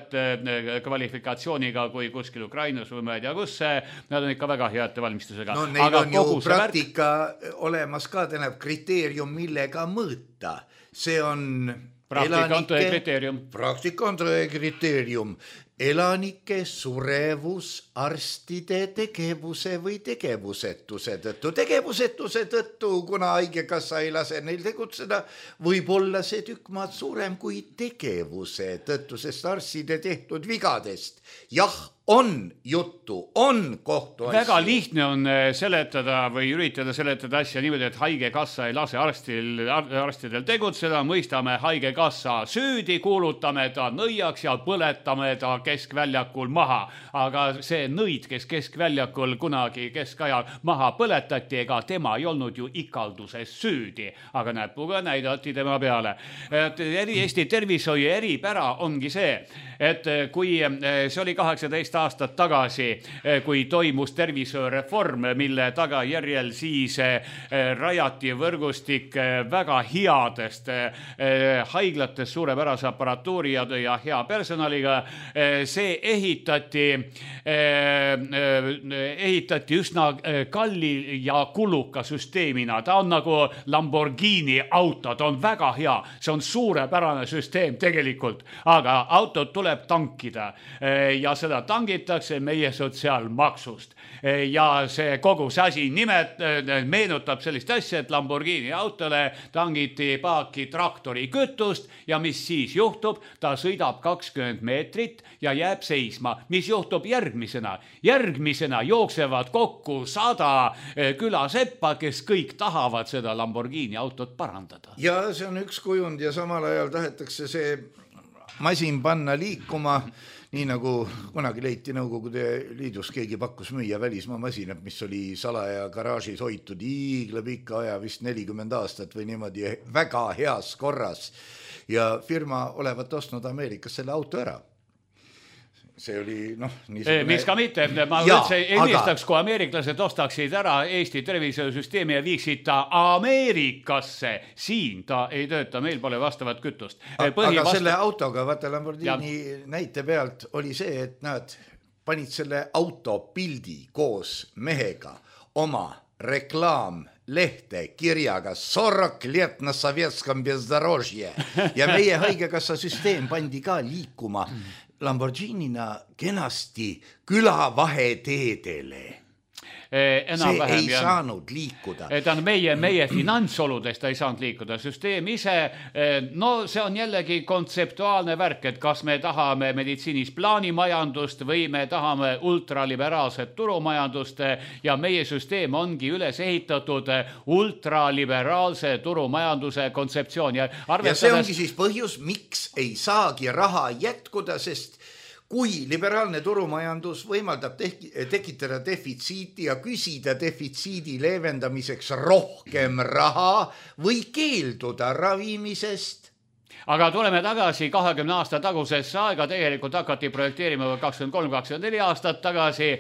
kvalifikatsiooniga kui kuskil Ukrainas või ma ei tea kus. Nad on ikka väga hea ettevalmistusega.
No neil on ju praktika olemas ka, tähendab kriteerium, millega mõõta. See on
praktika on tõe kriteerium.
Praktika on tõe kriteerium. Elanike surevus arstide tegevuse või tegevusetuse tõttu. Tegevusetuse tõttu, kuna haigekassa ei lase neil tegutseda, võib olla see tükk maad suurem kui tegevuse tõttu, sest arstide tehtud vigadest. Jah, on juttu, on kohtuasju.
Väga lihtne on seletada või üritada seletada asja niimoodi, et haigekassa ei lase arstidel tegutseda, mõistame haigekassa süüdi, kuulutame ta nõiaks ja põletame ta keskväljakul maha. Aga see nõid, kes keskväljakul kunagi keskajal maha põletati, ega tema ei olnud ju ikalduses süüdi, aga näpuga näidati tema peale. Eesti tervishoiu eripära ongi see, et kui see oli 18 aastat tagasi, kui toimus tervishoiureform, mille tagajärjel siis rajati võrgustik väga headest haiglatest suurepärase aparatuuri ja hea personaliga. See ehitati üsna kalli ja kuluka süsteemina. Ta on nagu Lamborghini auto, ta on väga hea. See on suurepärane süsteem tegelikult, aga autot tuleb tankida ja seda tangitakse meie sotsiaalmaksust. Ja see kogu see asi meenutab sellist asja, et Lamborghini autole tangiti paaki traktori kütust ja mis siis juhtub? Ta sõidab 20 meetrit ja jääb seisma. Mis juhtub järgmisena? Järgmisena jooksevad kokku 100 külaseppa, kes kõik tahavad seda Lamborghini autot parandada.
Ja see on üks kujund ja samal ajal tahetakse see masin panna liikuma nii nagu kunagi leiti Nõukogude Liidus, keegi pakkus müüa välismaa masinat, mis oli salaja garaažis hoitud iigla pika aja, vist 40 aastat või niimoodi väga heas korras ja firma olevat ostnud Ameerikas selle auto ära. See oli, niisugune...
Mis ka mitte, ma üldse ennistaks, kui ameeriklased ostaksid ära Eesti tervisesüsteemi ja viiksid ta Ameerikasse. Siin ta ei tööta, meil pole vastavat kütust.
Aga selle autoga, vaata Lamborghini näite pealt oli see, et nad panid selle auto pildi koos mehega oma reklaamlehte kirjaga 40 лет на советском бездорожье ja meie haigekassa süsteem pandi ka liikuma Lamborghinina kenasti külavaheteedele. See ei saanud liikuda.
Ta on meie finantsoludest ta ei saanud liikuda. Süsteem ise, see on jällegi kontseptuaalne värk, et kas me tahame meditsiinis plaanimajandust või me tahame ultraliberaalset turumajandust ja meie süsteem ongi üles ehitatud ultraliberaalse turumajanduse kontseptsioon.
Ja see ongi siis põhjus, miks ei saagi raha jätkuda, sest kui liberaalne turumajandus võimaldab tekitada defitsiiti ja küsida defitsiidi leevendamiseks rohkem raha või keelduda ravimisest.
Aga tuleme tagasi 20 aasta tagusesse aega, tegelikult hakati projekteerima 23-24 aastat tagasi,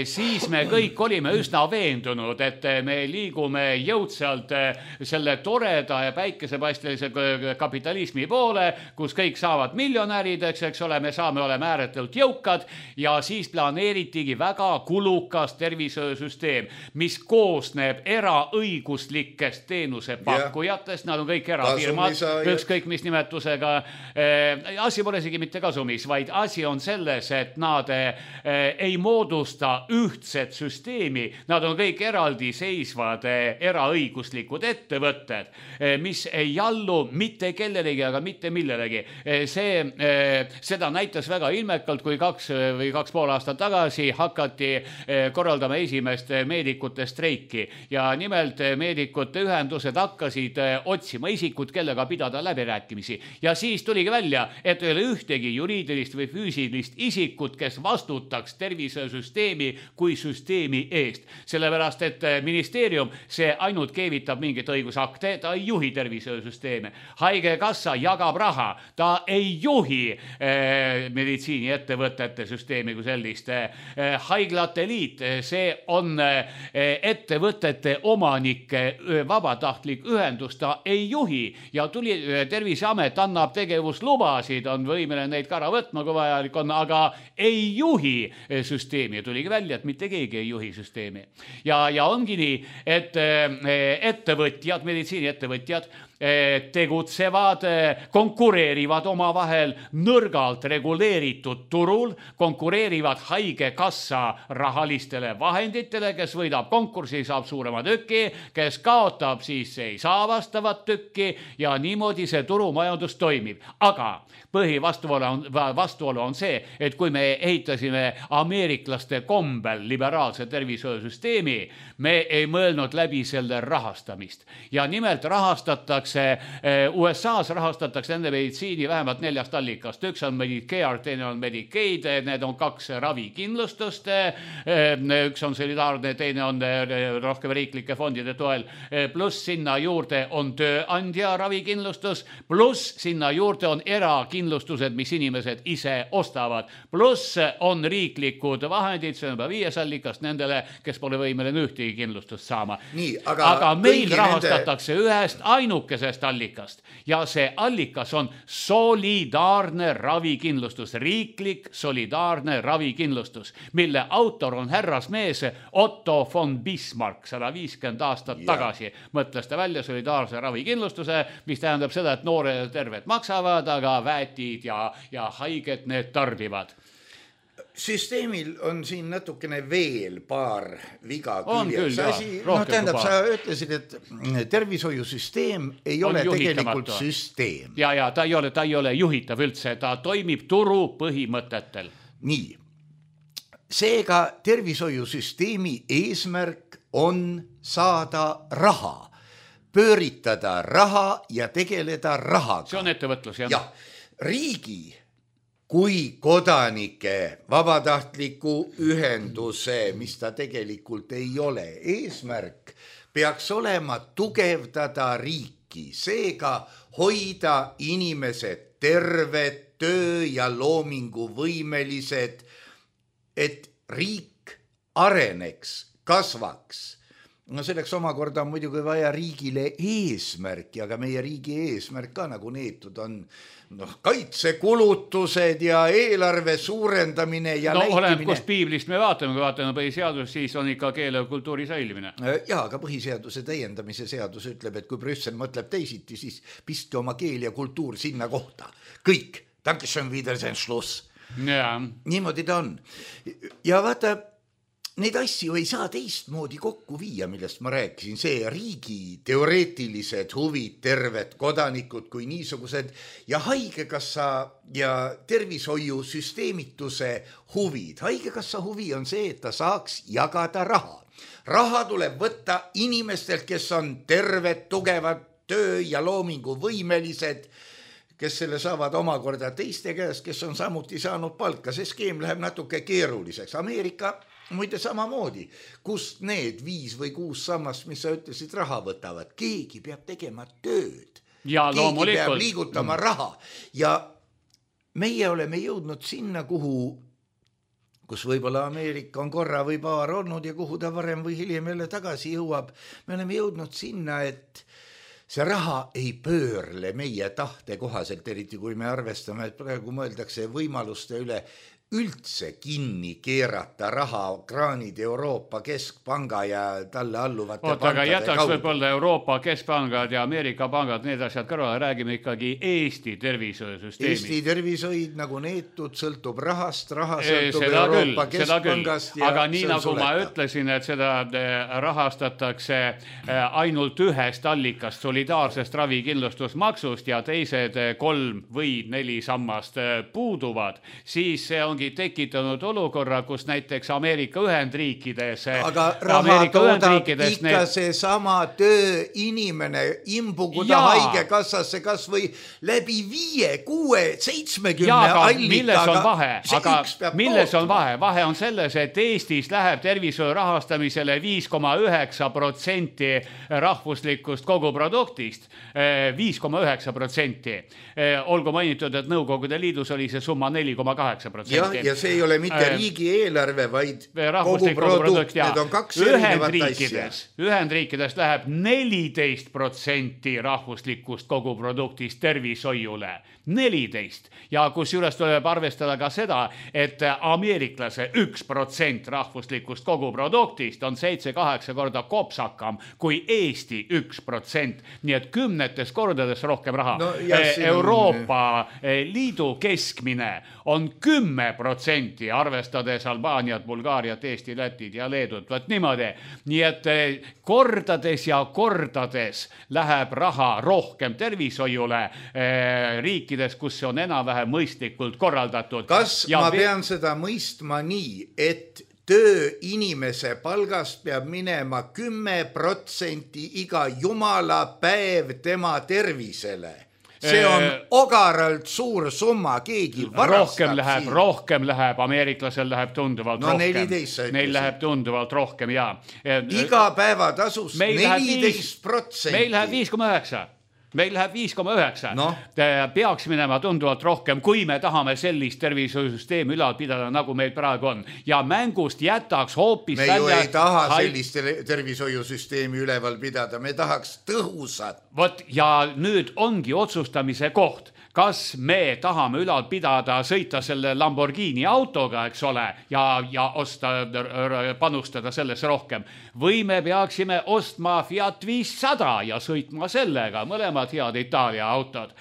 siis me kõik olime üsna veendunud, et me liigume jõudsalt selle toreda ja päikesepaistelise kapitalismi poole, kus kõik saavad miljonärideks, eks ole, me oleme ääretult jõukad ja siis planeeritigi väga kulukas tervishoiusüsteem, mis koosneb eraõiguslikest teenusepakkujatest, nad on kõik erafirmad, ükskõik mis nimed asi pole isegi mitte kasumis, vaid asi on selles, et nad ei moodusta ühtset süsteemi, nad on kõik eraldi seisvad eraõiguslikud ettevõtted, mis ei allu mitte kellelegi, aga mitte millelegi. Seda näitas väga ilmekalt, kui 2 või 2,5 aastat tagasi hakati korraldama esimest meedikute streiki ja nimelt meedikute ühendused hakkasid otsima isikut, kellega pidada läbirääkimisi. Ja siis tuligi välja, et ei ole ühtegi juriidilist või füüsilist isikut, kes vastutaks tervisesüsteemi kui süsteemi eest. Sellepärast, et ministeerium, see ainult keevitab mingit õigusakte, ta ei juhi tervisesüsteeme. Haigekassa jagab raha, ta ei juhi meditsiiniettevõtete süsteemi kui sellist. Haiglate liit, see on ettevõtete omanike vabatahtlik ühendus, ta ei juhi ja tuli Terviseamet annab tegevuslubasid, on võimeline neid ka ära võtma, kui vajalik on, aga ei juhi süsteemi. Tuligi välja, et mitte keegi ei juhi süsteemi. Ja ongi nii, et ettevõtjad, meditsiiniettevõtjad tegutsevad, konkureerivad omavahel nõrgalt reguleeritud turul, konkureerivad haigekassa rahalistele vahenditele, kes võidab konkursi, saab suurema tüki, kes kaotab, siis ei saa vastavat tükki ja niimoodi see turumajandus toimib. Aga põhivastuolu on see, et kui me ehitasime ameeriklaste kombel liberaalse tervishoiusüsteemi, me ei mõelnud läbi selle rahastamist. Ja nimelt rahastatakse USA-s rahastatakse nende meditsiini vähemalt 4 allikast. Üks on Medicare, teine on Medicaid, need on 2 ravikindlustust, üks on solidaarne, teine on rohkem riiklike fondide toel, pluss sinna juurde on tööandja ravikindlustus, pluss sinna juurde on erakindlustused, mis inimesed ise ostavad, pluss on riiklikud vahendid, see on juba 5 allikast nendele, kes pole võimeline ühtegi kindlustust saama. Aga meil rahastatakse ühest ainukesest allikast ja see allikas on solidaarne ravikindlustus, riiklik solidaarne ravikindlustus, mille autor on härrasmees Otto von Bismarck 150 aastat tagasi. Mõtles ta välja solidaarse ravikindlustuse, mis tähendab seda, et noored terved maksavad, aga väetid ja haiget need tarbivad.
Süsteemil on siin natukene veel paar viga küljes. Tähendab, sa ütlesid, et tervishoiusüsteem ei ole tegelikult süsteem.
Ja ta ei ole juhitav üldse, ta toimib turu põhimõtetel.
Nii. Seega tervishoiusüsteemi eesmärk on saada raha, pööritada raha ja tegeleda rahaga.
See on ettevõtlus, jah.
Ja riigi kui kodanike vabatahtliku ühenduse, mis ta tegelikult ei ole. Eesmärk peaks olema tugevdada riiki, seega hoida inimesed terved, töö- ja loominguvõimelised, et riik areneks, kasvaks. No selleks omakorda on muidugi vaja riigile eesmärki, aga meie riigi eesmärk ka nagu neetud on kaitsekulutused ja eelarve suurendamine ja näitimine.
Oleneb, kus piiblist me vaatame, kui vaatame põhiseadus, siis on ikka keele ja kultuuri säilimine.
Jaa, aga põhiseaduse täiendamise seadus ütleb, et kui Brüssel mõtleb teisiti, siis pistke oma keel ja kultuur sinna kohta. Kõik. Dankeschön, Wiedersehen, Schluss.
Ja.
Niimoodi ta on. Ja vaata, neid asju ei saa teistmoodi kokku viia, millest ma rääkisin. See riigi teoreetilised huvid, terved kodanikud kui niisugused ja haigekassa ja tervishoiusüsteemituse huvid. Haigekassa huvi on see, et ta saaks jagada raha. Raha tuleb võtta inimestelt, kes on terved, tugevad, töö- ja loominguvõimelised, kes selle saavad omakorda teiste käes, kes on samuti saanud palka. See skeem läheb natuke keeruliseks. Ameerika muide samamoodi, kust need 5 või 6 sammast, mis sa ütlesid, raha võtavad. Keegi peab tegema tööd.
Ja
keegi
loomulikult
peab liigutama raha. Ja meie oleme jõudnud sinna, kus võib-olla Ameerika on korra või paar olnud ja kuhu ta varem või hiljem jälle tagasi jõuab. Me oleme jõudnud sinna, et see raha ei pöörle meie tahte kohaselt, eriti kui me arvestame, et praegu mõeldakse võimaluste üle üldse kinni keerata rahakraanid Euroopa Keskpanga ja talle alluvate pankade
aga jätaks
kaudu.
võib-olla Euroopa Keskpangad ja Ameerika pangad, need asjad kõrvale, räägime ikkagi Eesti tervishoiusüsteemi.
Eesti tervishoid nagu neetud sõltub rahast, raha
sõltub
seda Euroopa Keskpangast.
Aga nii nagu ma ütlesin, et seda rahastatakse ainult ühest allikast, solidaarsest ravikindlustusmaksust ja teised 3 või 4 sammast puuduvad, siis see ongi tekitanud olukorra, kus näiteks Ameerika Ühendriikides
aga raha toodab ikka see sama tööinimene imbuguda haigekassasse kas või läbi 5, 6, 70 allika.
Milles on vahe? Vahe on selles, et Eestis läheb tervishoiu rahastamisele 5,9% rahvuslikust koguproduktist. 5,9%. Olgu mainitud, et Nõukogude Liidus oli see summa 4,8%.
Ja see ei ole mitte riigieelarve, vaid koguprodukt. Need on 2 erinevat asja.
Ühendriikides läheb 14% rahvuslikust koguproduktist tervishoiule. 14. Ja kus juures tuleb arvestada ka seda, et ameeriklase 1% rahvuslikust koguproduktist on 7-8 korda kopsakam kui Eesti 1%. Nii et 10 kordades rohkem raha. Euroopa Liidu keskmine on 10%, arvestades Albaaniat, Bulgaariat, Eesti, Lätit ja Leedut. Võt niimoodi. Nii et kordades ja kordades läheb raha rohkem tervishoiule riikides, kus see on enam-vähem mõistlikult korraldatud.
Kas ma pean seda mõistma nii, et tööinimese palgast peab minema 10% iga jumala päev tema tervisele? See on ogaralt suur summa, keegi varastab siin.
Rohkem läheb, ameeriklasel läheb tunduvalt rohkem.
14.
Neil läheb tunduvalt rohkem, jaa.
Iga päeva tasus 14%.
Meil läheb 5,9%. Meil läheb 5,9. Peaks minema tunduvalt rohkem, kui me tahame sellist tervishoiusüsteemi ülal pidada, nagu meil praegu on. Ja mängust jätaks hoopis
me ju ei taha sellist tervishoiusüsteemi üleval pidada, me tahaks tõhusat.
Ja nüüd ongi otsustamise koht. Kas me tahame ülal pidada, sõita selle Lamborghini autoga, eks ole, ja osta, panustada sellesse rohkem. Või me peaksime ostma Fiat 500 ja sõitma sellega, mõlemad head Itaalia autod.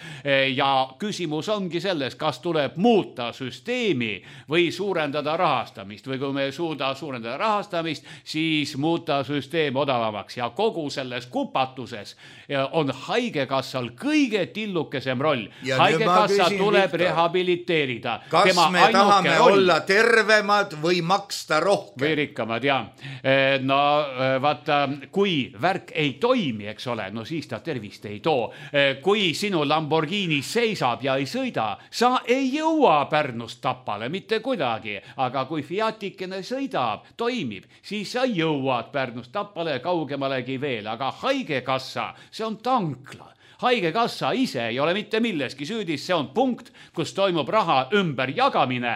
Ja küsimus ongi selles, kas tuleb muuta süsteemi või suurendada rahastamist. Või kui me ei suuda suurendada rahastamist, siis muuta süsteem odavamaks. Ja kogu selles kupatuses on haigekassal kõige tillukesem roll.
Ja
haigekassa tuleb rehabiliteerida.
Kas me tahame olla tervemad või maksta rohkem?
Või rikkamad, jah. No vaata, kui värk ei toimi, eks ole, no siis ta tervist ei too. Kui sinu Lamborghini seisab ja ei sõida, sa ei jõua Pärnust Tapale mitte kuidagi. Aga kui Fiatikene sõidab, toimib, siis sa jõuad Pärnust Tapale kaugemalegi veel. Aga haigekassa, see on tankla. Haigekassa ise ei ole mitte milleski süüdis, see on punkt, kus toimub raha ümberjagamine,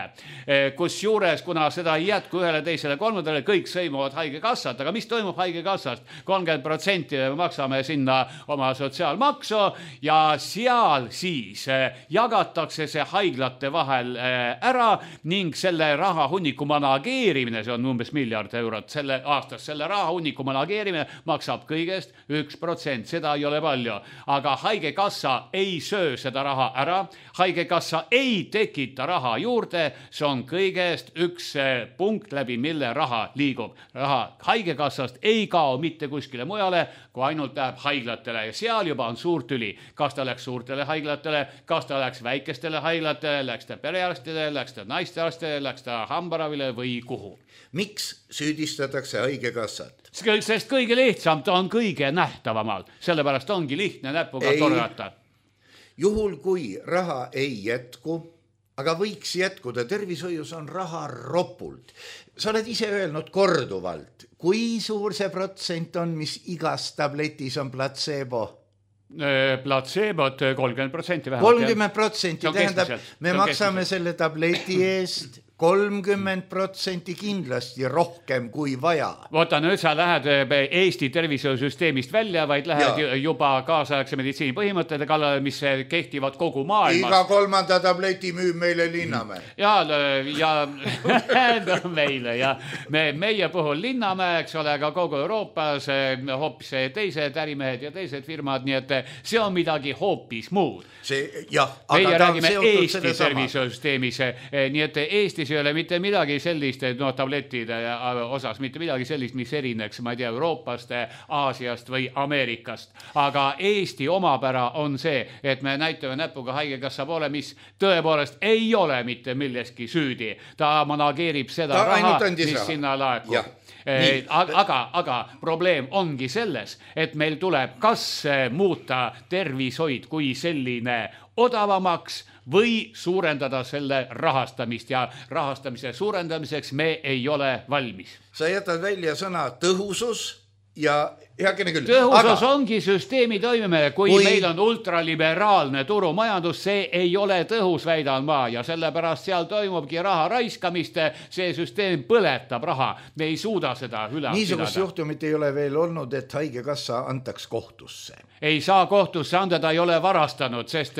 kus juures, kuna seda ei jätku ühele, teisele, kolmandale, kõik sõimuvad haigekassat, aga mis toimub haigekassast? 30% maksame sinna oma sotsiaalmaksu ja seal siis jagatakse see haiglate vahel ära ning selle raha hunniku manageerimine, see on umbes miljard eurot selle aastas, selle raha hunniku manageerimine maksab kõigest 1%, seda ei ole palju, aga haigekassa ei söö seda raha ära, haigekassa ei tekita raha juurde, see on kõigest üks punkt läbi, mille raha liigub. Raha haigekassast ei kao mitte kuskile mujale, kui ainult läheb haiglatele ja seal juba on suur tüli. Kas ta läks suurtele haiglatele, kas ta läks väikestele haiglatele, läks ta perearstile, läks ta naistearstile, läks ta hambaravile või kuhu?
Miks süüdistatakse haigekassat?
Sest kõige lihtsam, ta on kõige nähtavamal, sellepärast ongi lihtne näpuga torgata.
Juhul kui raha ei jätku, aga võiks jätkuda, tervishoius on raha ropult. Sa oled ise öelnud korduvalt, kui suur see protsent on, mis igas tabletis on placebo?
Placebot 30% vähemalt.
30% tähendab, me maksame selle tableti eest 30% kindlasti rohkem kui vaja.
Võta, nüüd sa lähed Eesti tervishoiusüsteemist välja, vaid lähed juba kaasaegse meditsiini põhimõtete kallale, mis kehtivad kogu maailmas.
Iga kolmanda tableti müüb meile Linnamäe.
Ja meile ja meie puhul Linnamäe, eks ole, aga kogu Euroopas hoopis teised ärimehed ja teised firmad, nii et see on midagi hoopis muud. Meie räägime Eesti tervishoiusüsteemis, nii et Eestis ei ole mitte midagi sellist, tabletide osas, mitte midagi sellist, mis erineks, ma ei tea, Euroopast, Aasiast või Ameerikast. Aga Eesti omapära on see, et me näitame näpuga haigekassa poole, mis tõepoolest ei ole mitte milleski süüdi. Ta manageerib seda raha, mis sinna laekub. Aga probleem ongi selles, et meil tuleb kas muuta tervishoid kui selline odavamaks või suurendada selle rahastamist ja rahastamise suurendamiseks me ei ole valmis.
Sa jätad välja sõna tõhusus ja heakene küll.
Tõhusus ongi süsteemi toimimine, kui meil on ultraliberaalne turumajandus, see ei ole tõhus, väidan ma, ja sellepärast seal toimubki raha raiskamist, see süsteem põletab raha, me ei suuda seda üle
niisugust juhtumit ei ole veel olnud, et haigekassa antaks kohtusse.
Ei saa kohtusse anda, ta ei ole varastanud, sest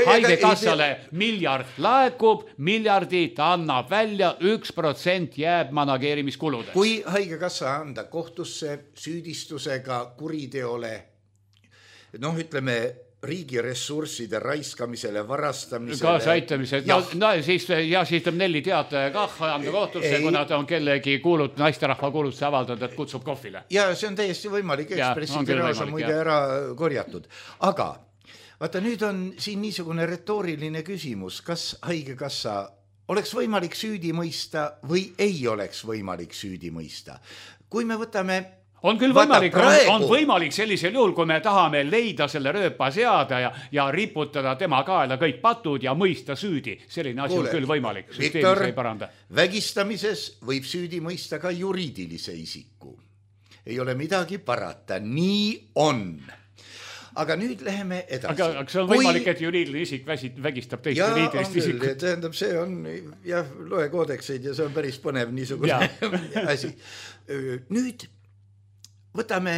haigekassale miljard laekub, miljardi ta annab välja, 1% jääb manageerimiskuludest.
Kui haigekassa anda kohtusse süüdistusega kuriteole, ütleme, riigi ressursside raiskamisele, varastamisele.
Kaasaitamisele. Siis tuleb Nelli Teataja kah anda kohtusse, kuna ta on kellegi naisterahva kuulutuse avaldanud, et kutsub kohvile.
Ja see on täiesti võimalik, Ekspressi tiraas on muide ära korjatud. Aga vaata, nüüd on siin niisugune retooriline küsimus, kas haigekassa oleks võimalik süüdi mõista või ei oleks võimalik süüdi mõista. Kui me võtame
on küll võimalik, on võimalik sellisel juhul, kui me tahame leida selle rööpa seada ja riputada tema kaela kõik patud ja mõista süüdi. Selline asi on küll võimalik.
Viktor, vägistamises võib süüdi mõista ka juriidilise isiku. Ei ole midagi parata, nii on. Aga nüüd läheme edasi.
Aga see on võimalik, et juriidiline isik vägistab teist juriidilist isikut.
Tähendab, see on, loe koodekseid ja see on päris põnev niisugune asi. Nüüd võtame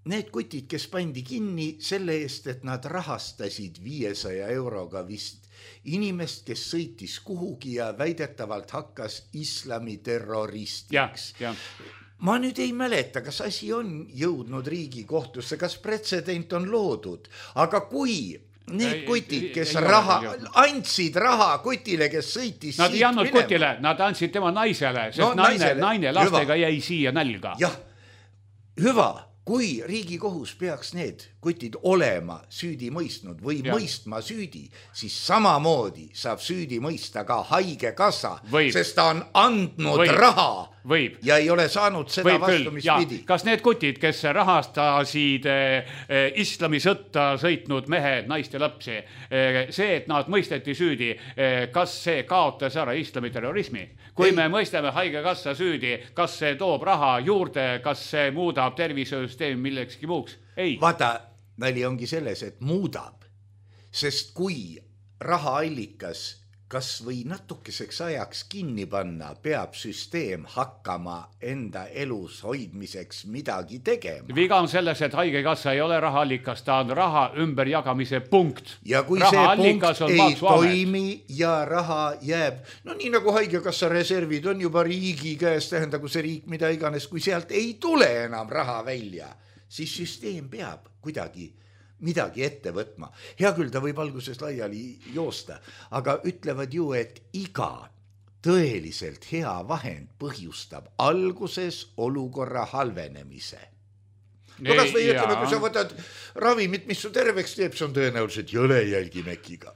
need kutid, kes pandi kinni selle eest, et nad rahastasid 500 euroga vist inimest, kes sõitis kuhugi ja väidetavalt hakkas islami terroristiks. Ma nüüd ei mäleta, kas asi on jõudnud Riigikohtusse, kas pretsedent on loodud, aga kui need kutid, kes andsid raha kutile, kes sõitis
nad ei andnud kutile, nad andsid tema naisele, sest naine lastega jäi siia nälga.
Jah, hüva, kui Riigikohus peaks need kutid olema süüdi mõistnud või mõistma süüdi, siis samamoodi saab süüdi mõista ka haigekassa, sest ta on andnud raha ja ei ole saanud seda vastu, mis pidi.
Kas need kutid, kes rahastasid islamisõtta sõitnud mehed, naist ja lapsi, see, et nad mõisteti süüdi, kas see kaotas ära islamiterrorismi? Kui me mõistame haigekassa süüdi, kas see toob raha juurde, kas see muudab tervishoiusüsteemi millekski muuks? Ei.
Vaata, nali ongi selles, et muudab, sest kui rahaallikas kas või natukeseks ajaks kinni panna, peab süsteem hakkama enda elus hoidmiseks midagi tegema.
Viga on selles, et haigekassa ei ole rahaallikas, ta on raha ümberjagamise punkt.
Ja kui see punkt ei toimi ja raha jääb, no nii nagu haigekassa reservid on juba riigi käes, tähendagu see riik mida iganes, kui sealt ei tule enam raha välja, siis süsteem peab kuidagi midagi ette võtma. Hea küll, ta võib alguses laiali joosta, aga ütlevad ju, et iga tõeliselt hea vahend põhjustab alguses olukorra halvenemise. No kas või ütleme, kui sa võtad ravimit, mis su terveks teeb, see on tõenäoliselt jõlejälgimekiga.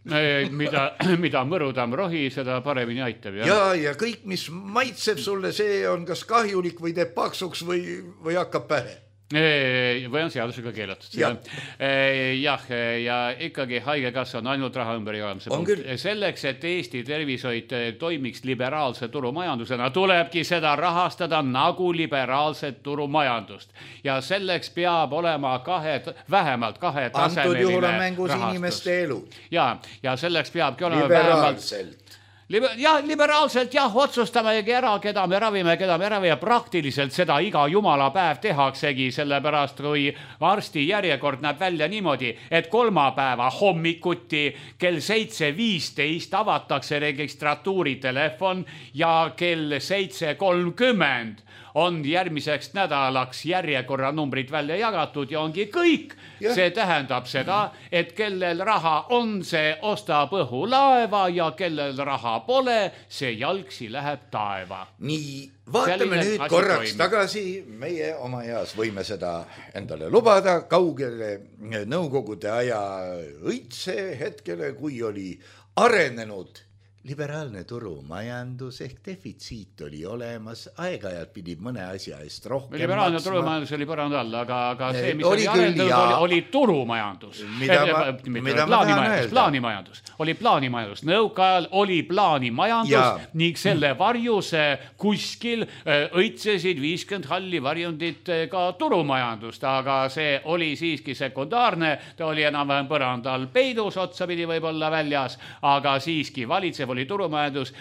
Mida mõrudam rohi, seda paremini aitab.
Ja kõik, mis maitseb sulle, see on kas kahjulik või teeb paksuks või hakkab pähe.
Või on seadusega keelatud. Ja ikkagi haigekassa on ainult raha ümberjagamise punkt. Selleks, et Eesti tervishoid toimiks liberaalse turumajandusena, tulebki seda rahastada nagu liberaalset turumajandust. Ja selleks peab olema vähemalt kahetasemeline
antud juhul on mängus inimeste elu.
Ja selleks peabki olema
liberaalselt.
Liberaalselt otsustamegi ära, keda me ravime ja praktiliselt seda iga jumala päev tehaksegi, sellepärast kui arsti järjekord näeb välja niimoodi, et kolmapäeva hommikuti kell 7:15 avatakse registratuuri telefon ja kell 7:30 on järgmiseks nädalaks järjekorranumbrid välja jagatud ja ongi kõik. See tähendab seda, et kellel raha on, see ostab õhulaeva ja kellel raha pole, see jalgsi läheb taeva.
Nii, vaatame nüüd korraks tagasi. Meie oma eas võime seda endale lubada kaugele nõukogude aja õitse hetkele, kui oli arenenud liberaalne turumajandus ehk defitsiit oli olemas, aeg-ajalt pidid mõne asja eest rohkem
liberaalne turumajandus oli põrand all, aga see, mis oli arendatud, oli turumajandus. Plaanimajandus. Oli plaanimajandus. Nõukaajal oli plaanimajandus ning selle varjus kuskil õitsesid 50 halli varjundit ka turumajandust, aga see oli siiski sekundaarne, ta oli enam-vähem põrand all peidus, otsapidi võib-olla väljas, aga siiski valitsev oli turumajandus,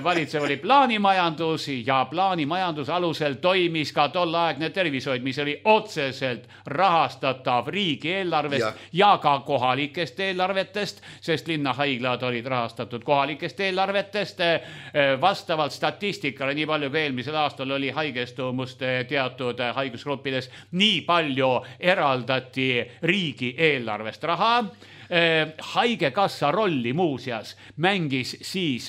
valitsev oli plaanimajandus ja plaanimajandus alusel toimis ka tolleaegne tervishoid, mis oli otseselt rahastatav riigieelarvest ja ka kohalikest eelarvetest, sest linnahaiglad olid rahastatud kohalikest eelarvetest. Vastavalt statistikale, nii palju kui eelmisel aastal oli haigestumust teatud haigusgruppides, nii palju eraldati riigieelarvest raha. Haigekassa rolli muuseas mängis siis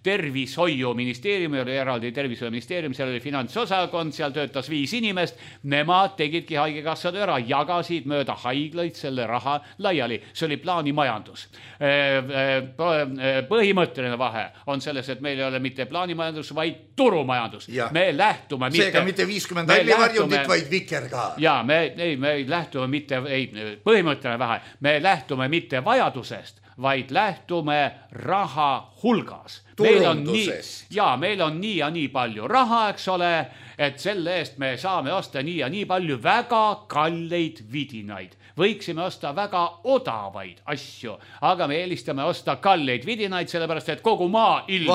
tervishoiuministeerium, oli eraldi tervishoiuministeerium, seal oli finantsosakond, seal töötas 5 inimest, nemad tegidki haigekassad ära, jagasid mööda haiglaid selle raha laiali. See oli plaanimajandus. Põhimõtteline vahe on selles, et meil ei ole mitte plaanimajandus, vaid turumajandus. Me lähtume
seega mitte 50 hallivarjundit, vaid vikerkaar.
Me lähtume mitte, põhimõtteline vahe, me lähtume mitte vajadusest, vaid lähtume raha hulgas. Meil on nii ja nii palju raha, eks ole, et selle eest me saame osta nii ja nii palju väga kalleid vidinaid. Võiksime osta väga odavaid asju, aga me eelistame osta kalleid vidinaid, sellepärast et kogu maailm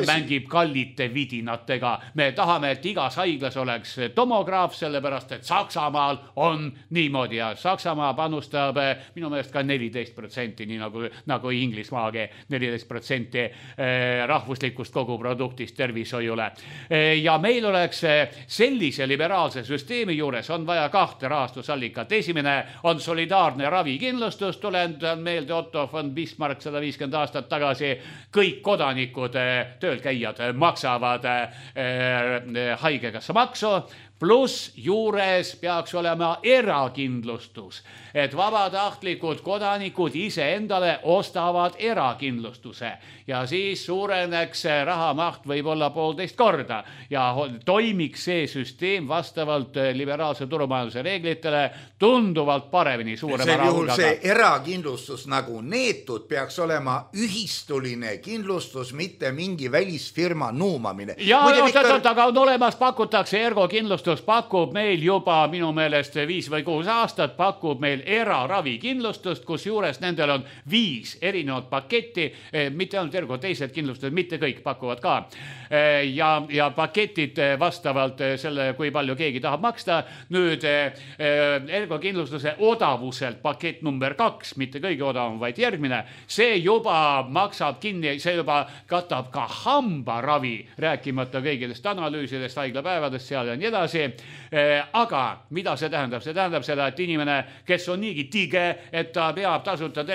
mängib kallite vidinatega. Me tahame, et igas haiglas oleks tomograaf, sellepärast et Saksamaal on niimoodi ja Saksamaa panustab minu meelest ka 14%, nii nagu Inglismaagi 14% rahvuslikust koguproduktist tervishoiule. Ja meil oleks sellise liberaalse süsteemi juures on vaja 2 rahastusallika finantsallikat. Esimene on solidaarne ravikindlustus, tuletan meelde Otto von Bismarck 150 aastat tagasi. Kõik kodanikud, töölkäijad maksavad haigekassa maksu, pluss juures peaks olema erakindlustus, et vabatahtlikud kodanikud ise endale ostavad erakindlustuse ja siis suureneks rahamaht võib-olla 1,5 korda ja toimiks see süsteem vastavalt liberaalse turumajanduse reeglitele tunduvalt paremini suurema rahuga.
See erakindlustus nagu neetud peaks olema ühistuline kindlustus, mitte mingi välisfirma nuumamine.
Ja aga on olemas, pakutakse ergokindlustus, pakub meil juba minu meelest 5 või 6 aastat, pakub meil eraravikindlustust, kus juures nendel on 5 erinevat paketti, mitte ainult ergo, teised kindlustused, mitte kõik pakuvad ka. Ja paketid vastavalt selle, kui palju keegi tahab maksta. Nüüd ergokindlustuse odavuselt pakett number 2, mitte kõige odavam, vaid järgmine, see juba maksab kinni, see juba katab ka hambaravi, rääkimata kõigidest analüüsidest, haiglapäevadest seal ja nii edasi. Aga mida see tähendab? See tähendab seda, et inimene, kes on niigi tige, et ta peab tasuta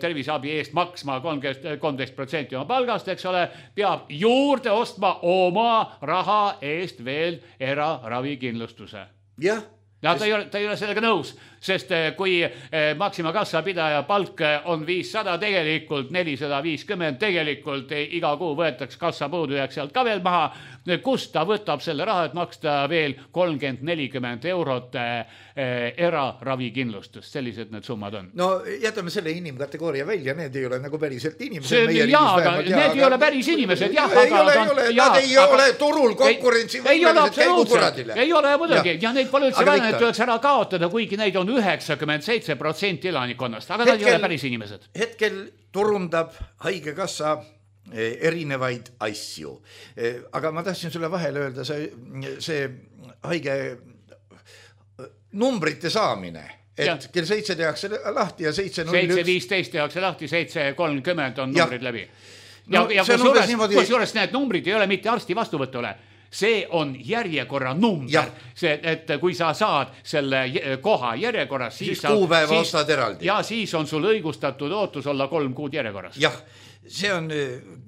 terviseabi eest maksma 13% oma palgast, eks ole, peab juurde ostma oma raha eest veel eraravikindlustuse.
Jah.
Ja ta ei ole sellega nõus, sest kui Maxima kassa pidaja palk on 500, tegelikult 450, tegelikult iga kuu võetaks kassa puudujääk sealt ka veel maha, kust ta võtab selle raha, et maksta veel 30-40 eurot eraravikindlustust. Sellised need summad on.
No jätame selle inimkategooria välja, need ei ole nagu päriselt inimesed.
Need ei ole päris inimesed.
Nad ei ole turul konkurentsi võimelised käigukuradile.
Ei ole muidugi, ja neid pole üldse vähe, et tuleks ära kaotada, kuigi neid on 97% elanikonnast, aga nad ei ole päris inimesed.
Hetkel turundab haigekassa erinevaid asju. Aga ma tahtsin sulle vahele öelda, see haige numbrite saamine, et kell 7 tehakse lahti ja 7.01.
7.15 tehakse lahti, 7.30 on numbrid läbi. Ja kusjuures need numbrid ei ole mitte arsti vastuvõtule. See on järjekorra number, et kui sa saad selle koha järjekorras,
siis kuupäeva ostad eraldi.
Ja siis on sul õigustatud ootus olla 3 kuud järjekorras.
Jah, see on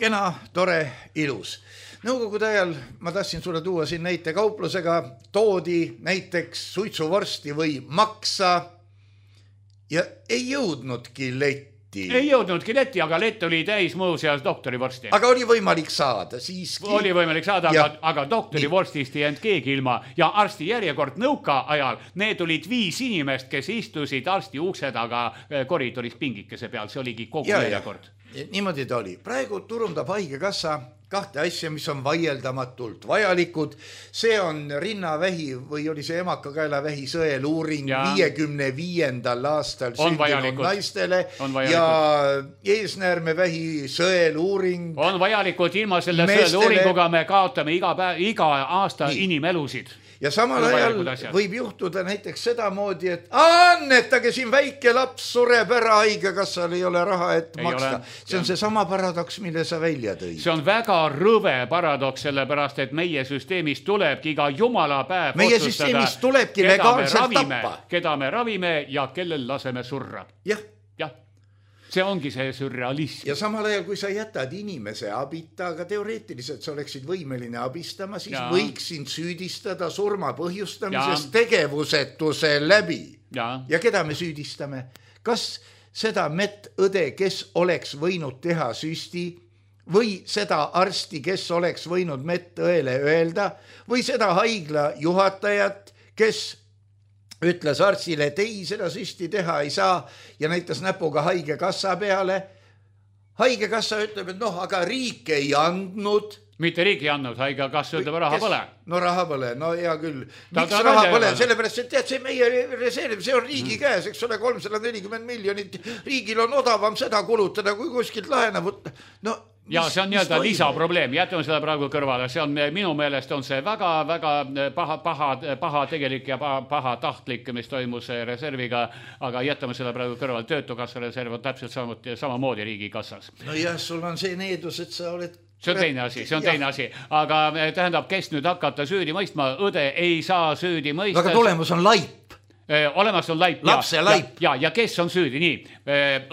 kena, tore, ilus. Nõukogude ajal ma tahtsin sulle tuua siin näite kauplusega, toodi näiteks suitsuvorsti või maksa ja ei jõudnudki letti.
Ei jõudnudki letti, aga lett oli täis muuseas doktorivorsti.
Aga oli võimalik saada siiski.
Oli võimalik saada, aga doktorivorstist ei jäänud keegi ilma. Ja arsti järjekord nõuka ajal, need olid 5 inimest, kes istusid arsti ukse taga koridoris pingikese peal. See oligi kogu järjekord.
Niimoodi ta oli. Praegu turundab haigekassa 2 asja, mis on vaieldamatult vajalikud. See on rinnavähi või oli see emakakaelavähi sõeluuring 55. aastal sündinud naistele ja eesnäärmevähi sõeluuring.
On vajalikud, ilma selle sõeluuringuga me kaotame iga aasta inimelusid.
Ja samal ajal võib juhtuda näiteks sedamoodi, et annetage siin väike laps sureb ära, haigekassal ei ole raha, et maksta. See on see sama paradoks, mille sa välja tõid.
See on väga rõve paradoks, sellepärast, et meie süsteemist tulebki iga jumala päev
meie süsteemist tulebki legaalselt tappa.
Keda me ravime ja kellel laseme surra.
Jah.
See ongi see surrealism.
Ja samal ajal, kui sa jätad inimese abita, aga teoreetiliselt sa oleksid võimeline abistama, siis võiksin süüdistada surma põhjustamises tegevusetuse läbi. Ja keda me süüdistame? Kas seda medõde, kes oleks võinud teha süsti, või seda arsti, kes oleks võinud medõele öelda, või seda haigla juhatajat, kes ütles arstile, et ei, seda süsti teha ei saa ja näitas näpuga haigekassa peale. Haigekassa ütleb, et aga riik ei andnud.
Mitte riik ei andnud, haigekassa ütleb raha põle.
No raha põle, no hea küll. Miks raha põle? Sellepärast, et tead, see meie reserv, see on riigi käes, eks ole, 340 miljonit. Riigil on odavam seda kulutada, kui kuskilt laena võtta.
Ja see on nii-öelda lisaprobleem, jätame seda praegu kõrvale, see on minu meelest on see väga paha tegelik ja paha tahtlik, mis toimus reserviga, aga jätame seda praegu kõrvale, töötukassa reserv on täpselt samamoodi riigikassas.
No jah, sul on see needus, et sa oled
see on teine asi, aga tähendab, kes nüüd hakata süüdi mõistma, õde ei saa süüdi mõista.
Aga tulemus on laip.
Olemas on laip.
Lapse laip.
Ja kes on süüdi, nii.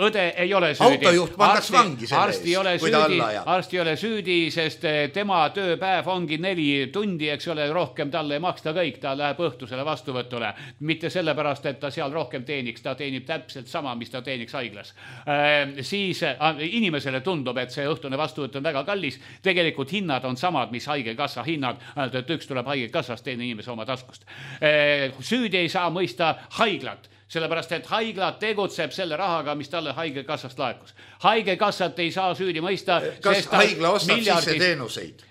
Õde ei ole süüdi.
Autojuht pandaks vangi selle eest, kui ta alla ajab.
Arsti ei ole süüdi, sest tema tööpäev ongi 4 tundi, eks ole, rohkem talle ei maksta kõik, ta läheb õhtusele vastuvõtule. Mitte sellepärast, et ta seal rohkem teeniks, ta teenib täpselt sama, mis ta teeniks haiglas. Siis inimesele tundub, et see õhtune vastuvõtt on väga kallis. Tegelikult hinnad on samad, mis haigekassa hinnad, ainult et üks tuleb haigekassast, teine inimese oma taskust. Süüdi ei saa mõista haiglat, sellepärast et haigla tegutseb selle rahaga, mis talle haigekassast laekus. Haigekassat ei saa süüdi mõista.
Kas haigla ostab sisse teenuseid?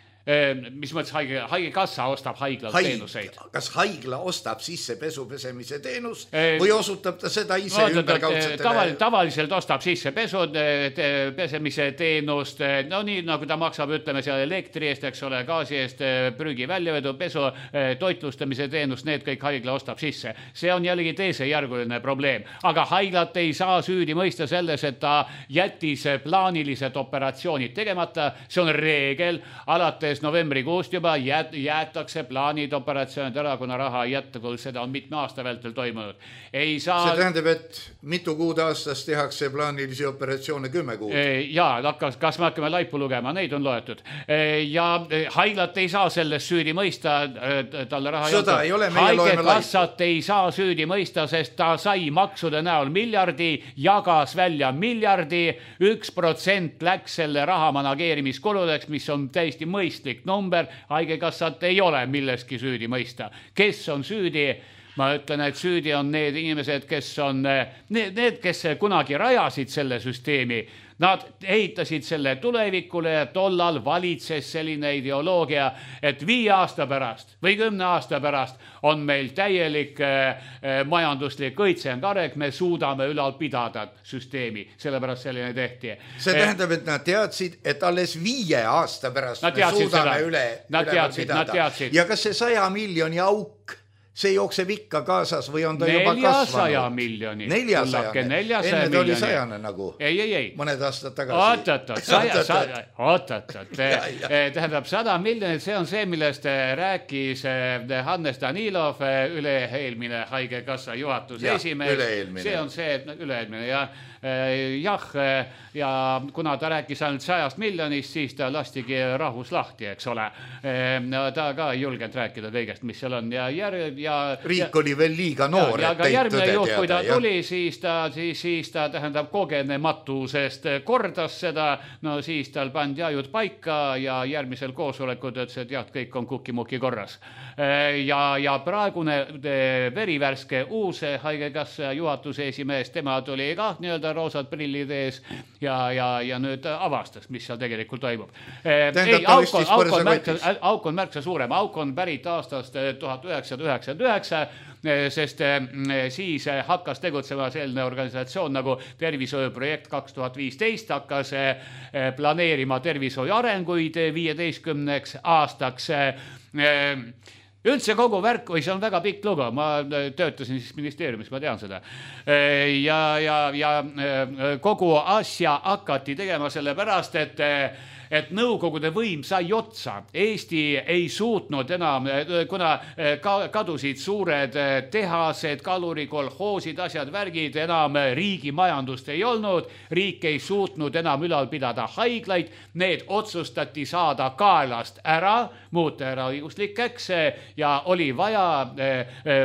Mis mõttes haigekassa ostab haiglalt teenuseid?
Kas haigla ostab sisse pesupesemise teenust või osutab ta seda ise ümberkaudsetele?
Tavaliselt ostab sisse pesemise teenust, no nii nagu ta maksab, ütleme seal elektri eest, eks ole, gaasi eest, prügi väljavedu, pesu, toitlustamise teenust, need kõik haigla ostab sisse. See on jällegi teisejärguline probleem, aga haiglat ei saa süüdi mõista selles, et ta jättis plaanilised operatsioonid tegemata, see on reegel, alates novembrikuust juba jäetakse plaanid operatsioonid ära, kuna raha ei jätta, kui seda on mitme aasta vältel toimunud. See
tähendab, et mitu kuud aastas tehakse plaanilisi operatsioone 10 kuud?
Jaa, kas me hakkame laipu lugema, neid on loetud. Ja haiglat ei saa sellest süüdi mõista, talle raha
Sõda ei ole, meie loeme laipu.
Haigekassat ei saa süüdi mõista, sest ta sai maksude näol miljardi, jagas välja miljardi, 1% läks selle raha manageerimiskuludeks, mis on täiesti mõistlik number, haigekassat ei ole milleski süüdi mõista. Kes on süüdi? Ma ütlen, et süüdi on need inimesed, kes on need, kes kunagi rajasid selle süsteemi. Nad ehitasid selle tulevikule ja tollal valitses selline ideoloogia, et 5 aasta pärast või 10 aasta pärast on meil täielik majanduslik õitsengarek, me suudame ülal pidada süsteemi, sellepärast selline tehti.
See tähendab, et nad teadsid, et alles 5 aasta pärast me suudame üle pidada. Ja kas see 100 miljoni auk, see jookseb ikka kaasas või on ta juba kasvanud?
400 miljoni.
400 miljoni. Enne oli 100 nagu.
Ei.
Mõned aastad tagasi.
Oot. Tähendab 100 miljonit, see on see, millest rääkis Hannes Danilov, üle-eelmine haigekassa juhatuse esimees. See on see, üle-eelmine, jah, ja kuna ta rääkis ainult 100 miljonist, siis ta lastigi rahus lahti, eks ole. Ta ka ei julgenud rääkida kõigest, mis seal on.
Riik oli veel liiga noor,
et teid järgmine juht, kui ta tuli, siis ta tähendab kogenematusest kordas seda, no siis tal pandi ajud paika ja järgmisel koosolekud, et see tead, kõik on kukimuki korras. Ja praegune verivärske uus haigekassa juhatuse esimees, tema tuli ka nii-öelda roosad prillid ees ja nüüd avastas, mis seal tegelikult toimub. Auk on märksa suurem, auk on pärit aastast 1999, sest siis hakkas tegutsema selline organisatsioon nagu Tervishoiuprojekt 2015, hakkas planeerima tervishoiu arenguid 15 aastaks. Üldse kogu värk, või see on väga pikk lugu, ma töötasin siis ministeeriumis, ma tean seda. Ja kogu asja hakati tegema selle pärast, et nõukogude võim sai otsa. Eesti ei suutnud enam, kuna kadusid suured tehased, kalurikolhoosid, asjad, värgid, enam riigi majandust ei olnud, riik ei suutnud enam ülal pidada haiglaid, need otsustati saada kaelast ära, muuta ära õiguslikeks ja oli vaja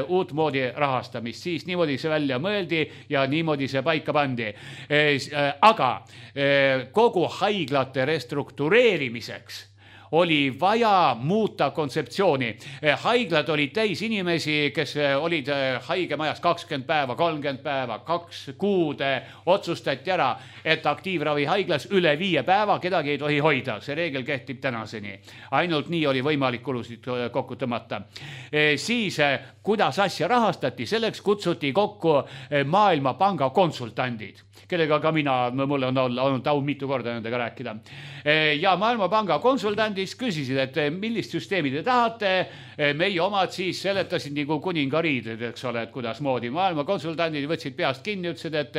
uut moodi rahastamist, siis niimoodi see välja mõeldi ja niimoodi see paika pandi. Aga kogu haiglate restruktureerimiseks oli vaja muuta kontseptsiooni. Haiglad olid täis inimesi, kes olid haigemajas 20 päeva, 30 päeva, 2 kuud. Otsustati ära, et aktiivravi haiglas üle 5 päeva kedagi ei tohi hoida. See reegel kehtib tänaseni. Ainult nii oli võimalik kulusid kokku tõmmata. Siis, kuidas asja rahastati, selleks kutsuti kokku Maailmapanga konsultandid, kellega ka mulle on olnud au mitu korda nendega rääkida. Ja Maailmapanga konsultandid konsultandist küsisid, et millist süsteemi te tahate. Meie omad siis seletasid nagu kuningariid, eks ole, et kuidas moodi. Maailma konsultandid võtsid peast kinni, ütlesid, et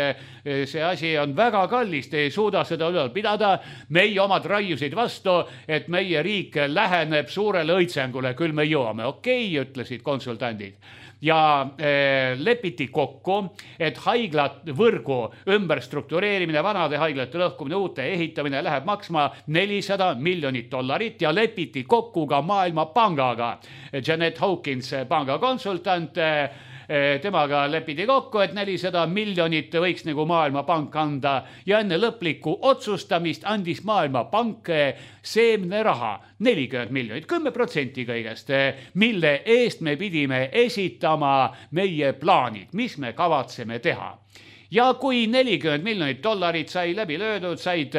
see asi on väga kallis, te ei suuda seda ülal pidada. Meie omad raiusid vastu, et meie riik läheneb suurele õitsengule, küll me jõuame. Okei, ütlesid konsultandid. Ja lepiti kokku, et haiglat võrgu ümberstruktureerimine, vanade haiglate lõhkumine, uute ehitamine läheb maksma $400 miljonit ja lepiti kokku ka Maailmapangaga. Janet Hawkins, panga konsultant, temaga lepiti kokku, et $400 miljonit võiks nagu Maailmapank anda ja enne lõplikku otsustamist andis Maailmapank seemneraha 40 miljonit, 10% kõigest, mille eest me pidime esitama meie plaanid, mis me kavatseme teha. Ja kui $40 miljonit sai läbi löödud, said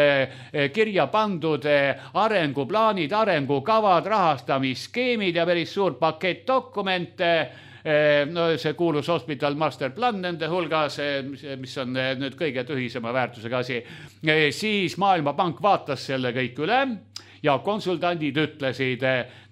kirja pandud arenguplaanid, arengukavad, rahastamisskeemid ja päris suur pakett dokumente, no see kuulus Hospital Master Plan nende hulgas, mis on nüüd kõige tühisema väärtusega asi, siis Maailmapank vaatas selle kõik üle ja konsultandid ütlesid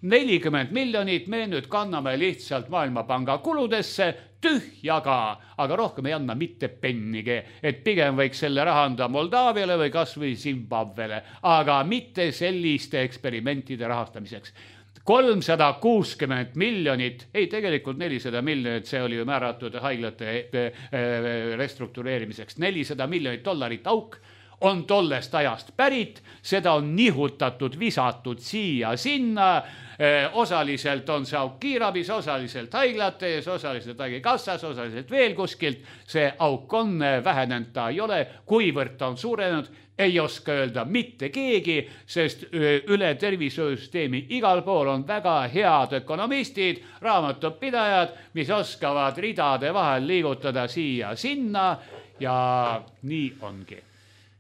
40 miljonit me nüüd kanname lihtsalt Maailmapanga kuludesse tühjaga, aga rohkem ei anna mitte pennigi, et pigem võiks selle raha anda Moldaaviale või kas või Zimbabwele, aga mitte selliste eksperimentide rahastamiseks. 360 miljonit, ei tegelikult 400 miljonit, see oli ju määratud haiglate restruktureerimiseks, $400 miljonit auk on tollest ajast pärit, seda on nihutatud, visatud siia sinna, osaliselt on see auk kiirabis, osaliselt haiglates, osaliselt haigekassas, osaliselt veel kuskilt, see auk on vähenenud, ta ei ole, kuivõrd ta on suurenenud, ei oska öelda mitte keegi, sest üle tervishoiusüsteemi igal pool on väga head ökonomistid, raamatupidajad, mis oskavad ridade vahel liigutada siia sinna ja nii ongi.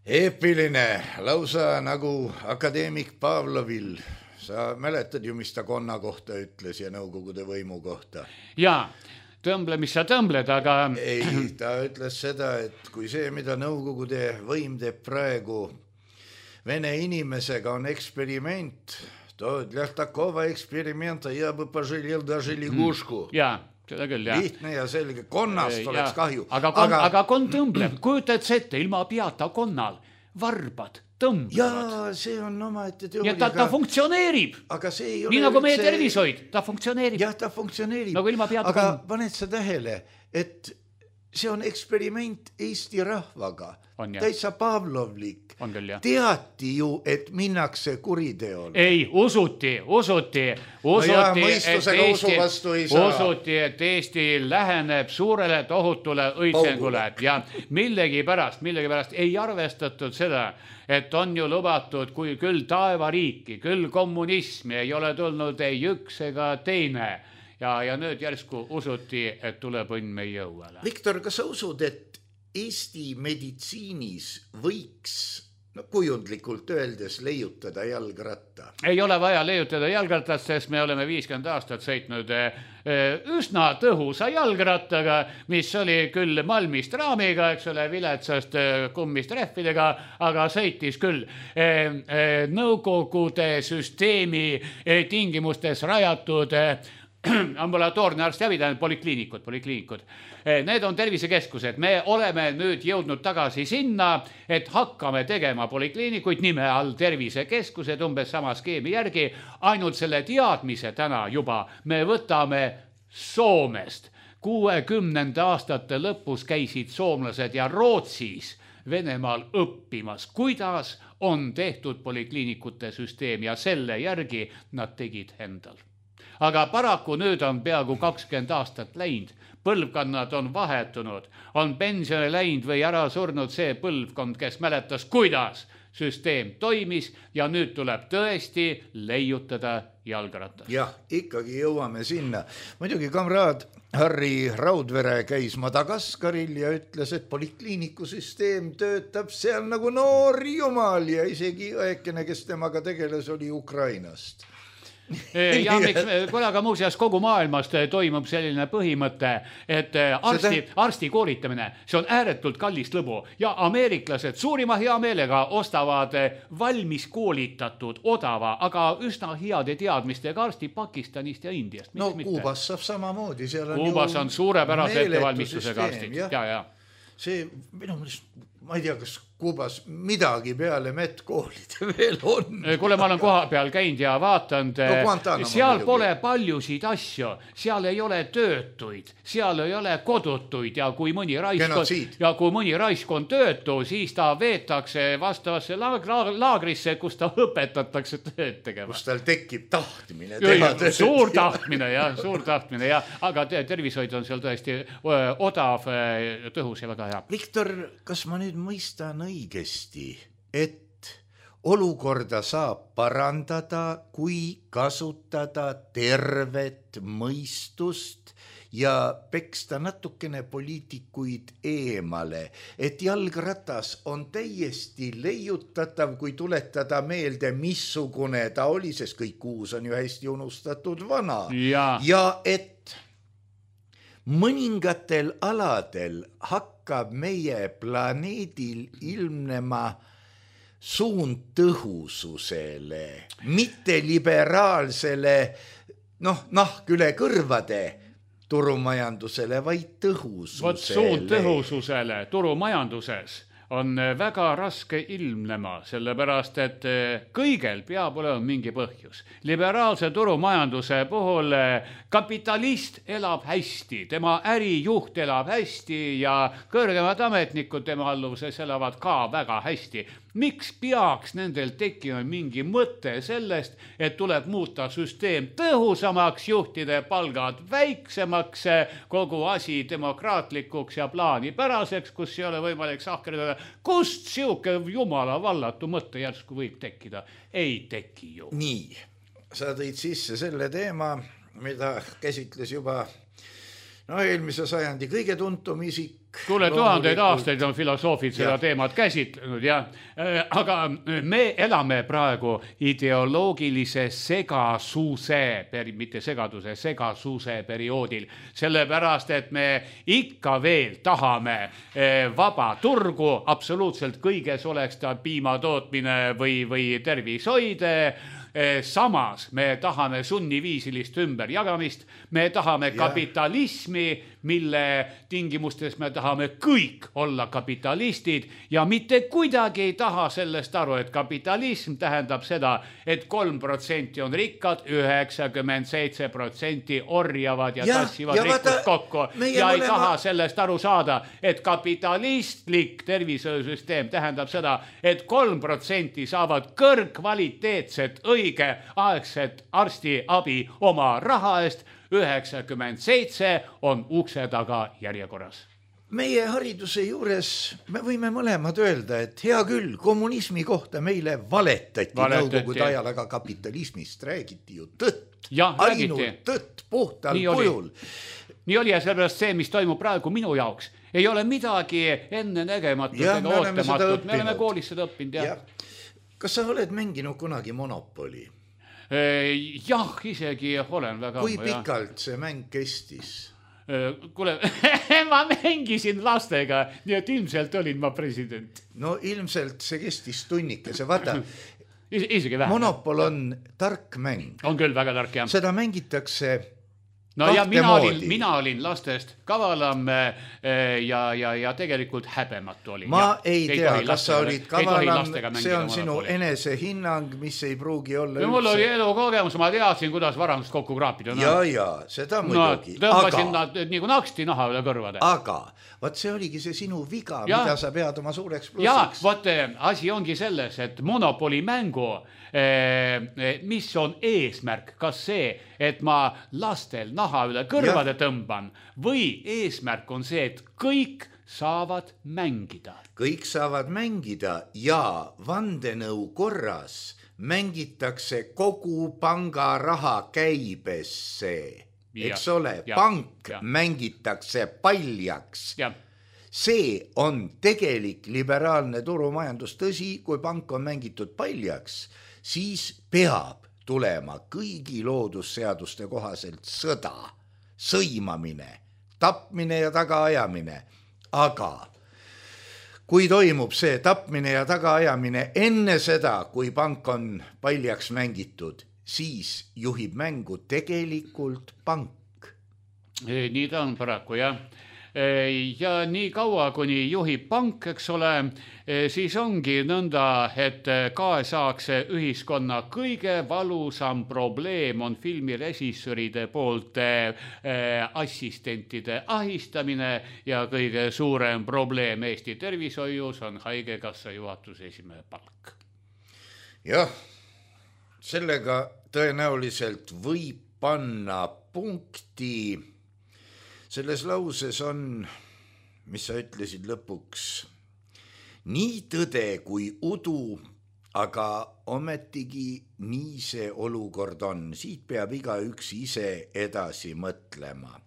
Eepiline, lausa nagu akadeemik Pavlovil. Sa mäletad ju, mis ta konna kohta ütles ja nõukogude võimu kohta?
Jaa. Tõmble, mis sa tõmbled, aga...
Ei, ta ütles seda, et kui see, mida nõukogude võim teeb praegu Vene inimesega on eksperiment, to для такого эксперимента я бы пожалел даже лягушку.
Jaa, seda küll, jah.
Lihtne ja selge, konnast oleks kahju.
Aga konn tõmbleb, kujutad ette ilma peata konnal, varbad tõmbavad.
Jaa, see on omaette teooria.
Ja ta funktsioneerib.
Aga see ei ole...
Nii nagu meie tervishoid, ta funktsioneerib.
Jah, ta funktsioneerib.
Nagu ilma peata
aga paned sa tähele, et see on eksperiment Eesti rahvaga. Täitsa Pavlovlik.
On küll, jah.
Teati ju, et minnakse kuriteole.
Ei, usuti, et Eesti läheneb suurele tohutule õitsengule ja millegi pärast ei arvestatud seda, et on ju lubatud kui küll taevariiki, küll kommunismi, ei ole tulnud ei üks ega teine. Ja nüüd järsku usuti, et tuleb õnn meie õuele.
Viktor, kas sa usud, et Eesti meditsiinis võiks kujundlikult öeldes leiutada jalgratta?
Ei ole vaja leiutada jalgrattat, sest me oleme 50 aastat sõitnud üsna tõhusa jalgrattaga, mis oli küll malmist raamiga, eks ole, viletsast kummist rehvidega, aga sõitis küll Nõukogude süsteemi tingimustes rajatud ambulatoorne arstiabi, polikliinikud. Need on tervisekeskused. Me oleme nüüd jõudnud tagasi sinna, et hakkame tegema polikliinikuid nime all tervisekeskused umbes sama skeemi järgi. Ainult selle teadmise täna juba me võtame Soomest. 60. aastate lõpus käisid soomlased ja Rootsis Venemaal õppimas, kuidas on tehtud polikliinikute süsteem ja selle järgi nad tegid endal. Aga paraku nüüd on peaaegu 20 aastat läinud, põlvkonnad on vahetunud, on pensioni läinud või ära surnud see põlvkond, kes mäletas, kuidas süsteem toimis ja nüüd tuleb tõesti leiutada jalgratas.
Jah, ikkagi jõuame sinna. Muidugi kamraad Harri Raudvere käis Madagaskaril ja ütles, et polikliinikusüsteem töötab seal nagu noor jumal ja isegi õekene, kes temaga tegeles, oli Ukrainast.
Ja miks, kuule, aga muuseas kogu maailmast toimub selline põhimõte, et arsti koolitamine, see on ääretult kallist lõbu ja ameeriklased suurima hea meelega ostavad valmis koolitatud, odava, aga üsna heade teadmistega arsti Pakistanist ja Indiast.
No Kuubas saab samamoodi.
Kuubas on suurepärase ettevalmistusega arstid. Ja.
See, minu mõelest, ma ei tea, kas Kuubas midagi peale medkoolide veel on.
Kuule, ma olen koha peal käinud ja vaatanud, seal pole paljusid asju, seal ei ole töötuid, seal ei ole kodutuid ja kui mõni raisk on töötu, siis ta veetakse vastavasse laagrisse, kus ta õpetatakse tööd tegema.
Kus tal tekib tahtmine teha tööd.
Suur tahtmine, ja, aga tervishoid on seal tõesti odav, tõhus ja väga hea.
Viktor, kas ma nüüd mõistan õigesti, et olukorda saab parandada, kui kasutada tervet mõistust ja peksta natukene poliitikuid eemale, et jalgratas on täiesti leiutatav, kui tuletada meelde, missugune ta oli, sest kõik uus on ju hästi unustatud vana. Ja et mõningatel aladel hakkab meie planeedil ilmnema suund tõhususele, mitte liberaalsele, nahk üle kõrvade turumajandusele, vaid tõhususele.
Suund tõhususele turumajanduses on väga raske ilmnema, sellepärast, et kõigel peab olema mingi põhjus. Liberaalse turumajanduse puhul kapitalist elab hästi, tema ärijuht elab hästi ja kõrgemad ametnikud tema alluvuses elavad ka väga hästi. Miks peaks nendel tekkima mingi mõte sellest, et tuleb muuta süsteem tõhusamaks, juhtide palgad väiksemaks, kogu asi demokraatlikuks ja plaanipäraseks, kus ei ole võimalik sahkerdada? Kust siuke jumala vallatu mõte järsku võib tekkida? Ei teki ju.
Nii, sa tõid sisse selle teema, mida käsitles juba eelmise sajandi kõige tuntum isik.
Kuule, tuhandeid aastaid on filosoofid seda teemat käsitlenud, aga me elame praegu ideoloogilise segasuse perioodil, sellepärast, et me ikka veel tahame vaba turgu, absoluutselt kõiges oleks ta piimatootmine või tervishoide. Samas me tahame sunniviisilist ümberjagamist, me tahame kapitalismi, mille tingimustes me tahame kõik olla kapitalistid ja mitte kuidagi ei taha sellest aru, et kapitalism tähendab seda, et 3% on rikkad, 97% orjavad ja tassivad rikkust kokku ja ei taha sellest aru saada, et kapitalistlik tervishoiusüsteem tähendab seda, et 3% saavad kõrgkvaliteetset õigeaegset arstiabi oma raha eest, 97 on ukse taga järjekorras.
Meie hariduse juures me võime mõlemad öelda, et hea küll, kommunismi kohta meile valetati nõukogude ajal, aga kapitalismist räägiti ju tõtt. Ainult tõtt puhtal kujul.
Nii oli ja sellepärast see, mis toimub praegu minu jaoks, ei ole midagi enne nägematut ega ootamatut. Me oleme koolis seda õppinud.
Kas sa oled mänginud kunagi Monopoli?
Jah, isegi olen väga.
Kui pikalt see mäng kestis?
Kuule, ma mängisin lastega, nii et ilmselt olin ma president.
No ilmselt see kestis tunnikese, vaata.
Isegi vähem.
Monopol on tark mäng.
On küll väga tark, jah.
Seda mängitakse
ja mina olin lastest kavalam ja tegelikult häbematu olin.
Ma ei tea, kas sa olid kavalam, see on sinu enese hinnang, mis ei pruugi olla
üldse. Mul oli elukogemus, ma teadsin, kuidas varandust kokku kraapida.
Ja, seda muidugi.
Tõmbasin nad nagu naksti naha üle kõrvade.
Aga, võt see oligi see sinu viga, mida sa pead oma suureks plussiks.
Ja, võt asi ongi selles, et Monopoli mängu, mis on eesmärk, kas see, et ma lastel naha üle kõrvade tõmban või eesmärk on see, et kõik saavad mängida.
Kõik saavad mängida ja vandenõu korras mängitakse kogu panga raha käibesse. Eks ole, pank mängitakse paljaks. See on tegelik liberaalne turumajandus. Tõsi, kui pank on mängitud paljaks, siis peab tulema kõigi loodusseaduste kohaselt sõda, sõimamine, tapmine ja tagaajamine, aga kui toimub see tapmine ja tagaajamine enne seda, kui pank on paljaks mängitud, siis juhib mängu tegelikult pank.
Nii ta on paraku, jah. Ja nii kaua, kuni juhib pank, eks ole, siis ongi nõnda, et kaasaegse ühiskonna kõige valusam probleem on filmirežissöride poolt assistentide ahistamine ja kõige suurem probleem Eesti tervishoius on haigekassa juhatuse esimehe palk.
Jah, sellega tõenäoliselt võib panna punkti. Selles lauses on, mis sa ütlesid lõpuks, nii tõde kui udu, aga ometigi nii see olukord on. Siit peab igaüks ise edasi mõtlema.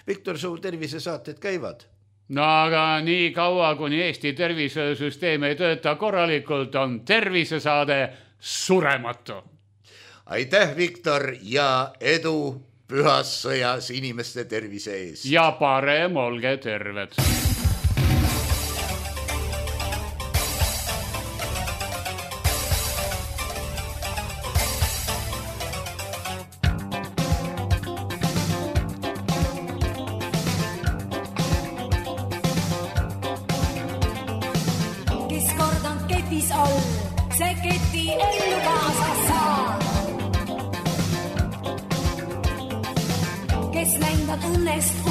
Viktor, su tervisesaated käivad?
No aga nii kaua, kuni Eesti tervisesüsteem ei tööta korralikult, on tervisesaade surematu.
Aitäh, Viktor, ja edu pühas sõjas inimeste tervise ees.
Ja parem olge terved.
Kes kord on ketis all, see keti ellu kaasa saa. Kes näinud õnnest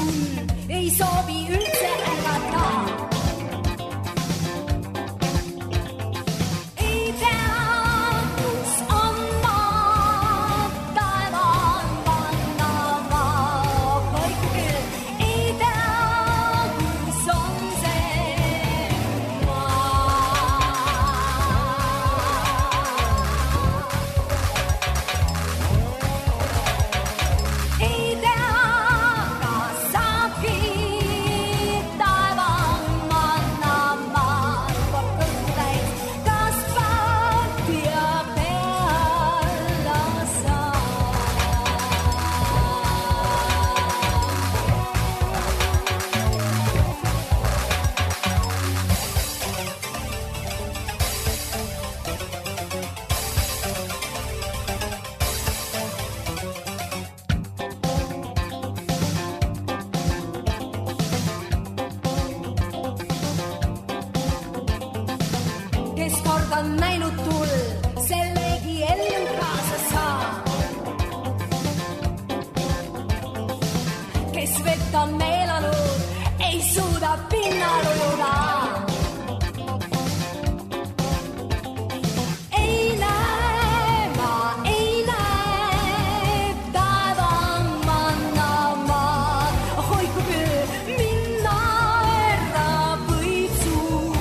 ei soovi üldse ärgata. Ei tea, kus on maa, taevan panna maa, kõik küll. Ei tea, kus on see maa. Ei tea, kes kord on näinud tull, sellegi ellu kaasa saa. Kes vett on meelanud, ei suuda pinnal ujuda. Ei näe, ma ei näe, taevan manna maa. Hoiku küll, minna ära võib suur.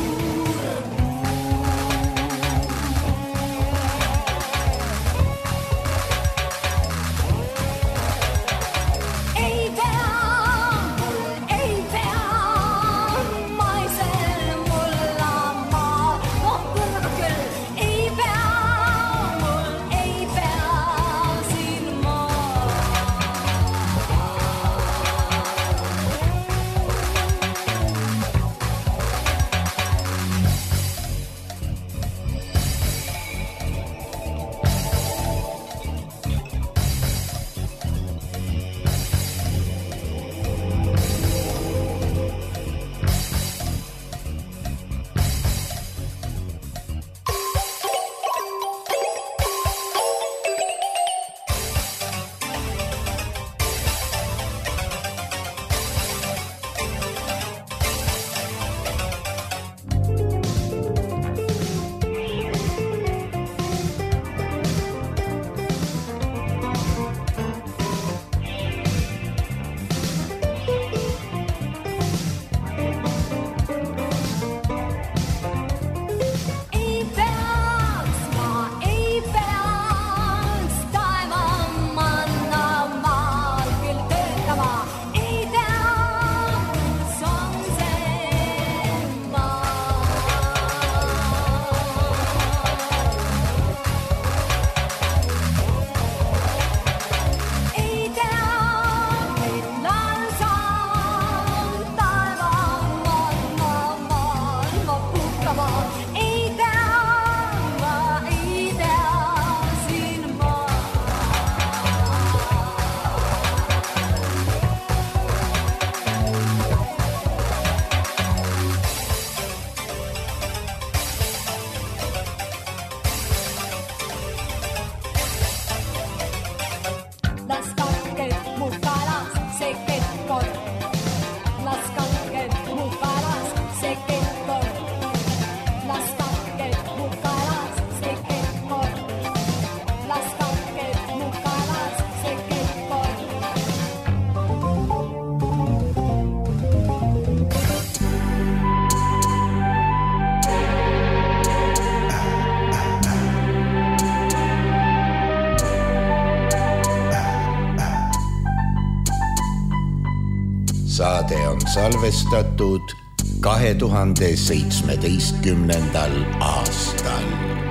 on salvestatud 2017. aastal.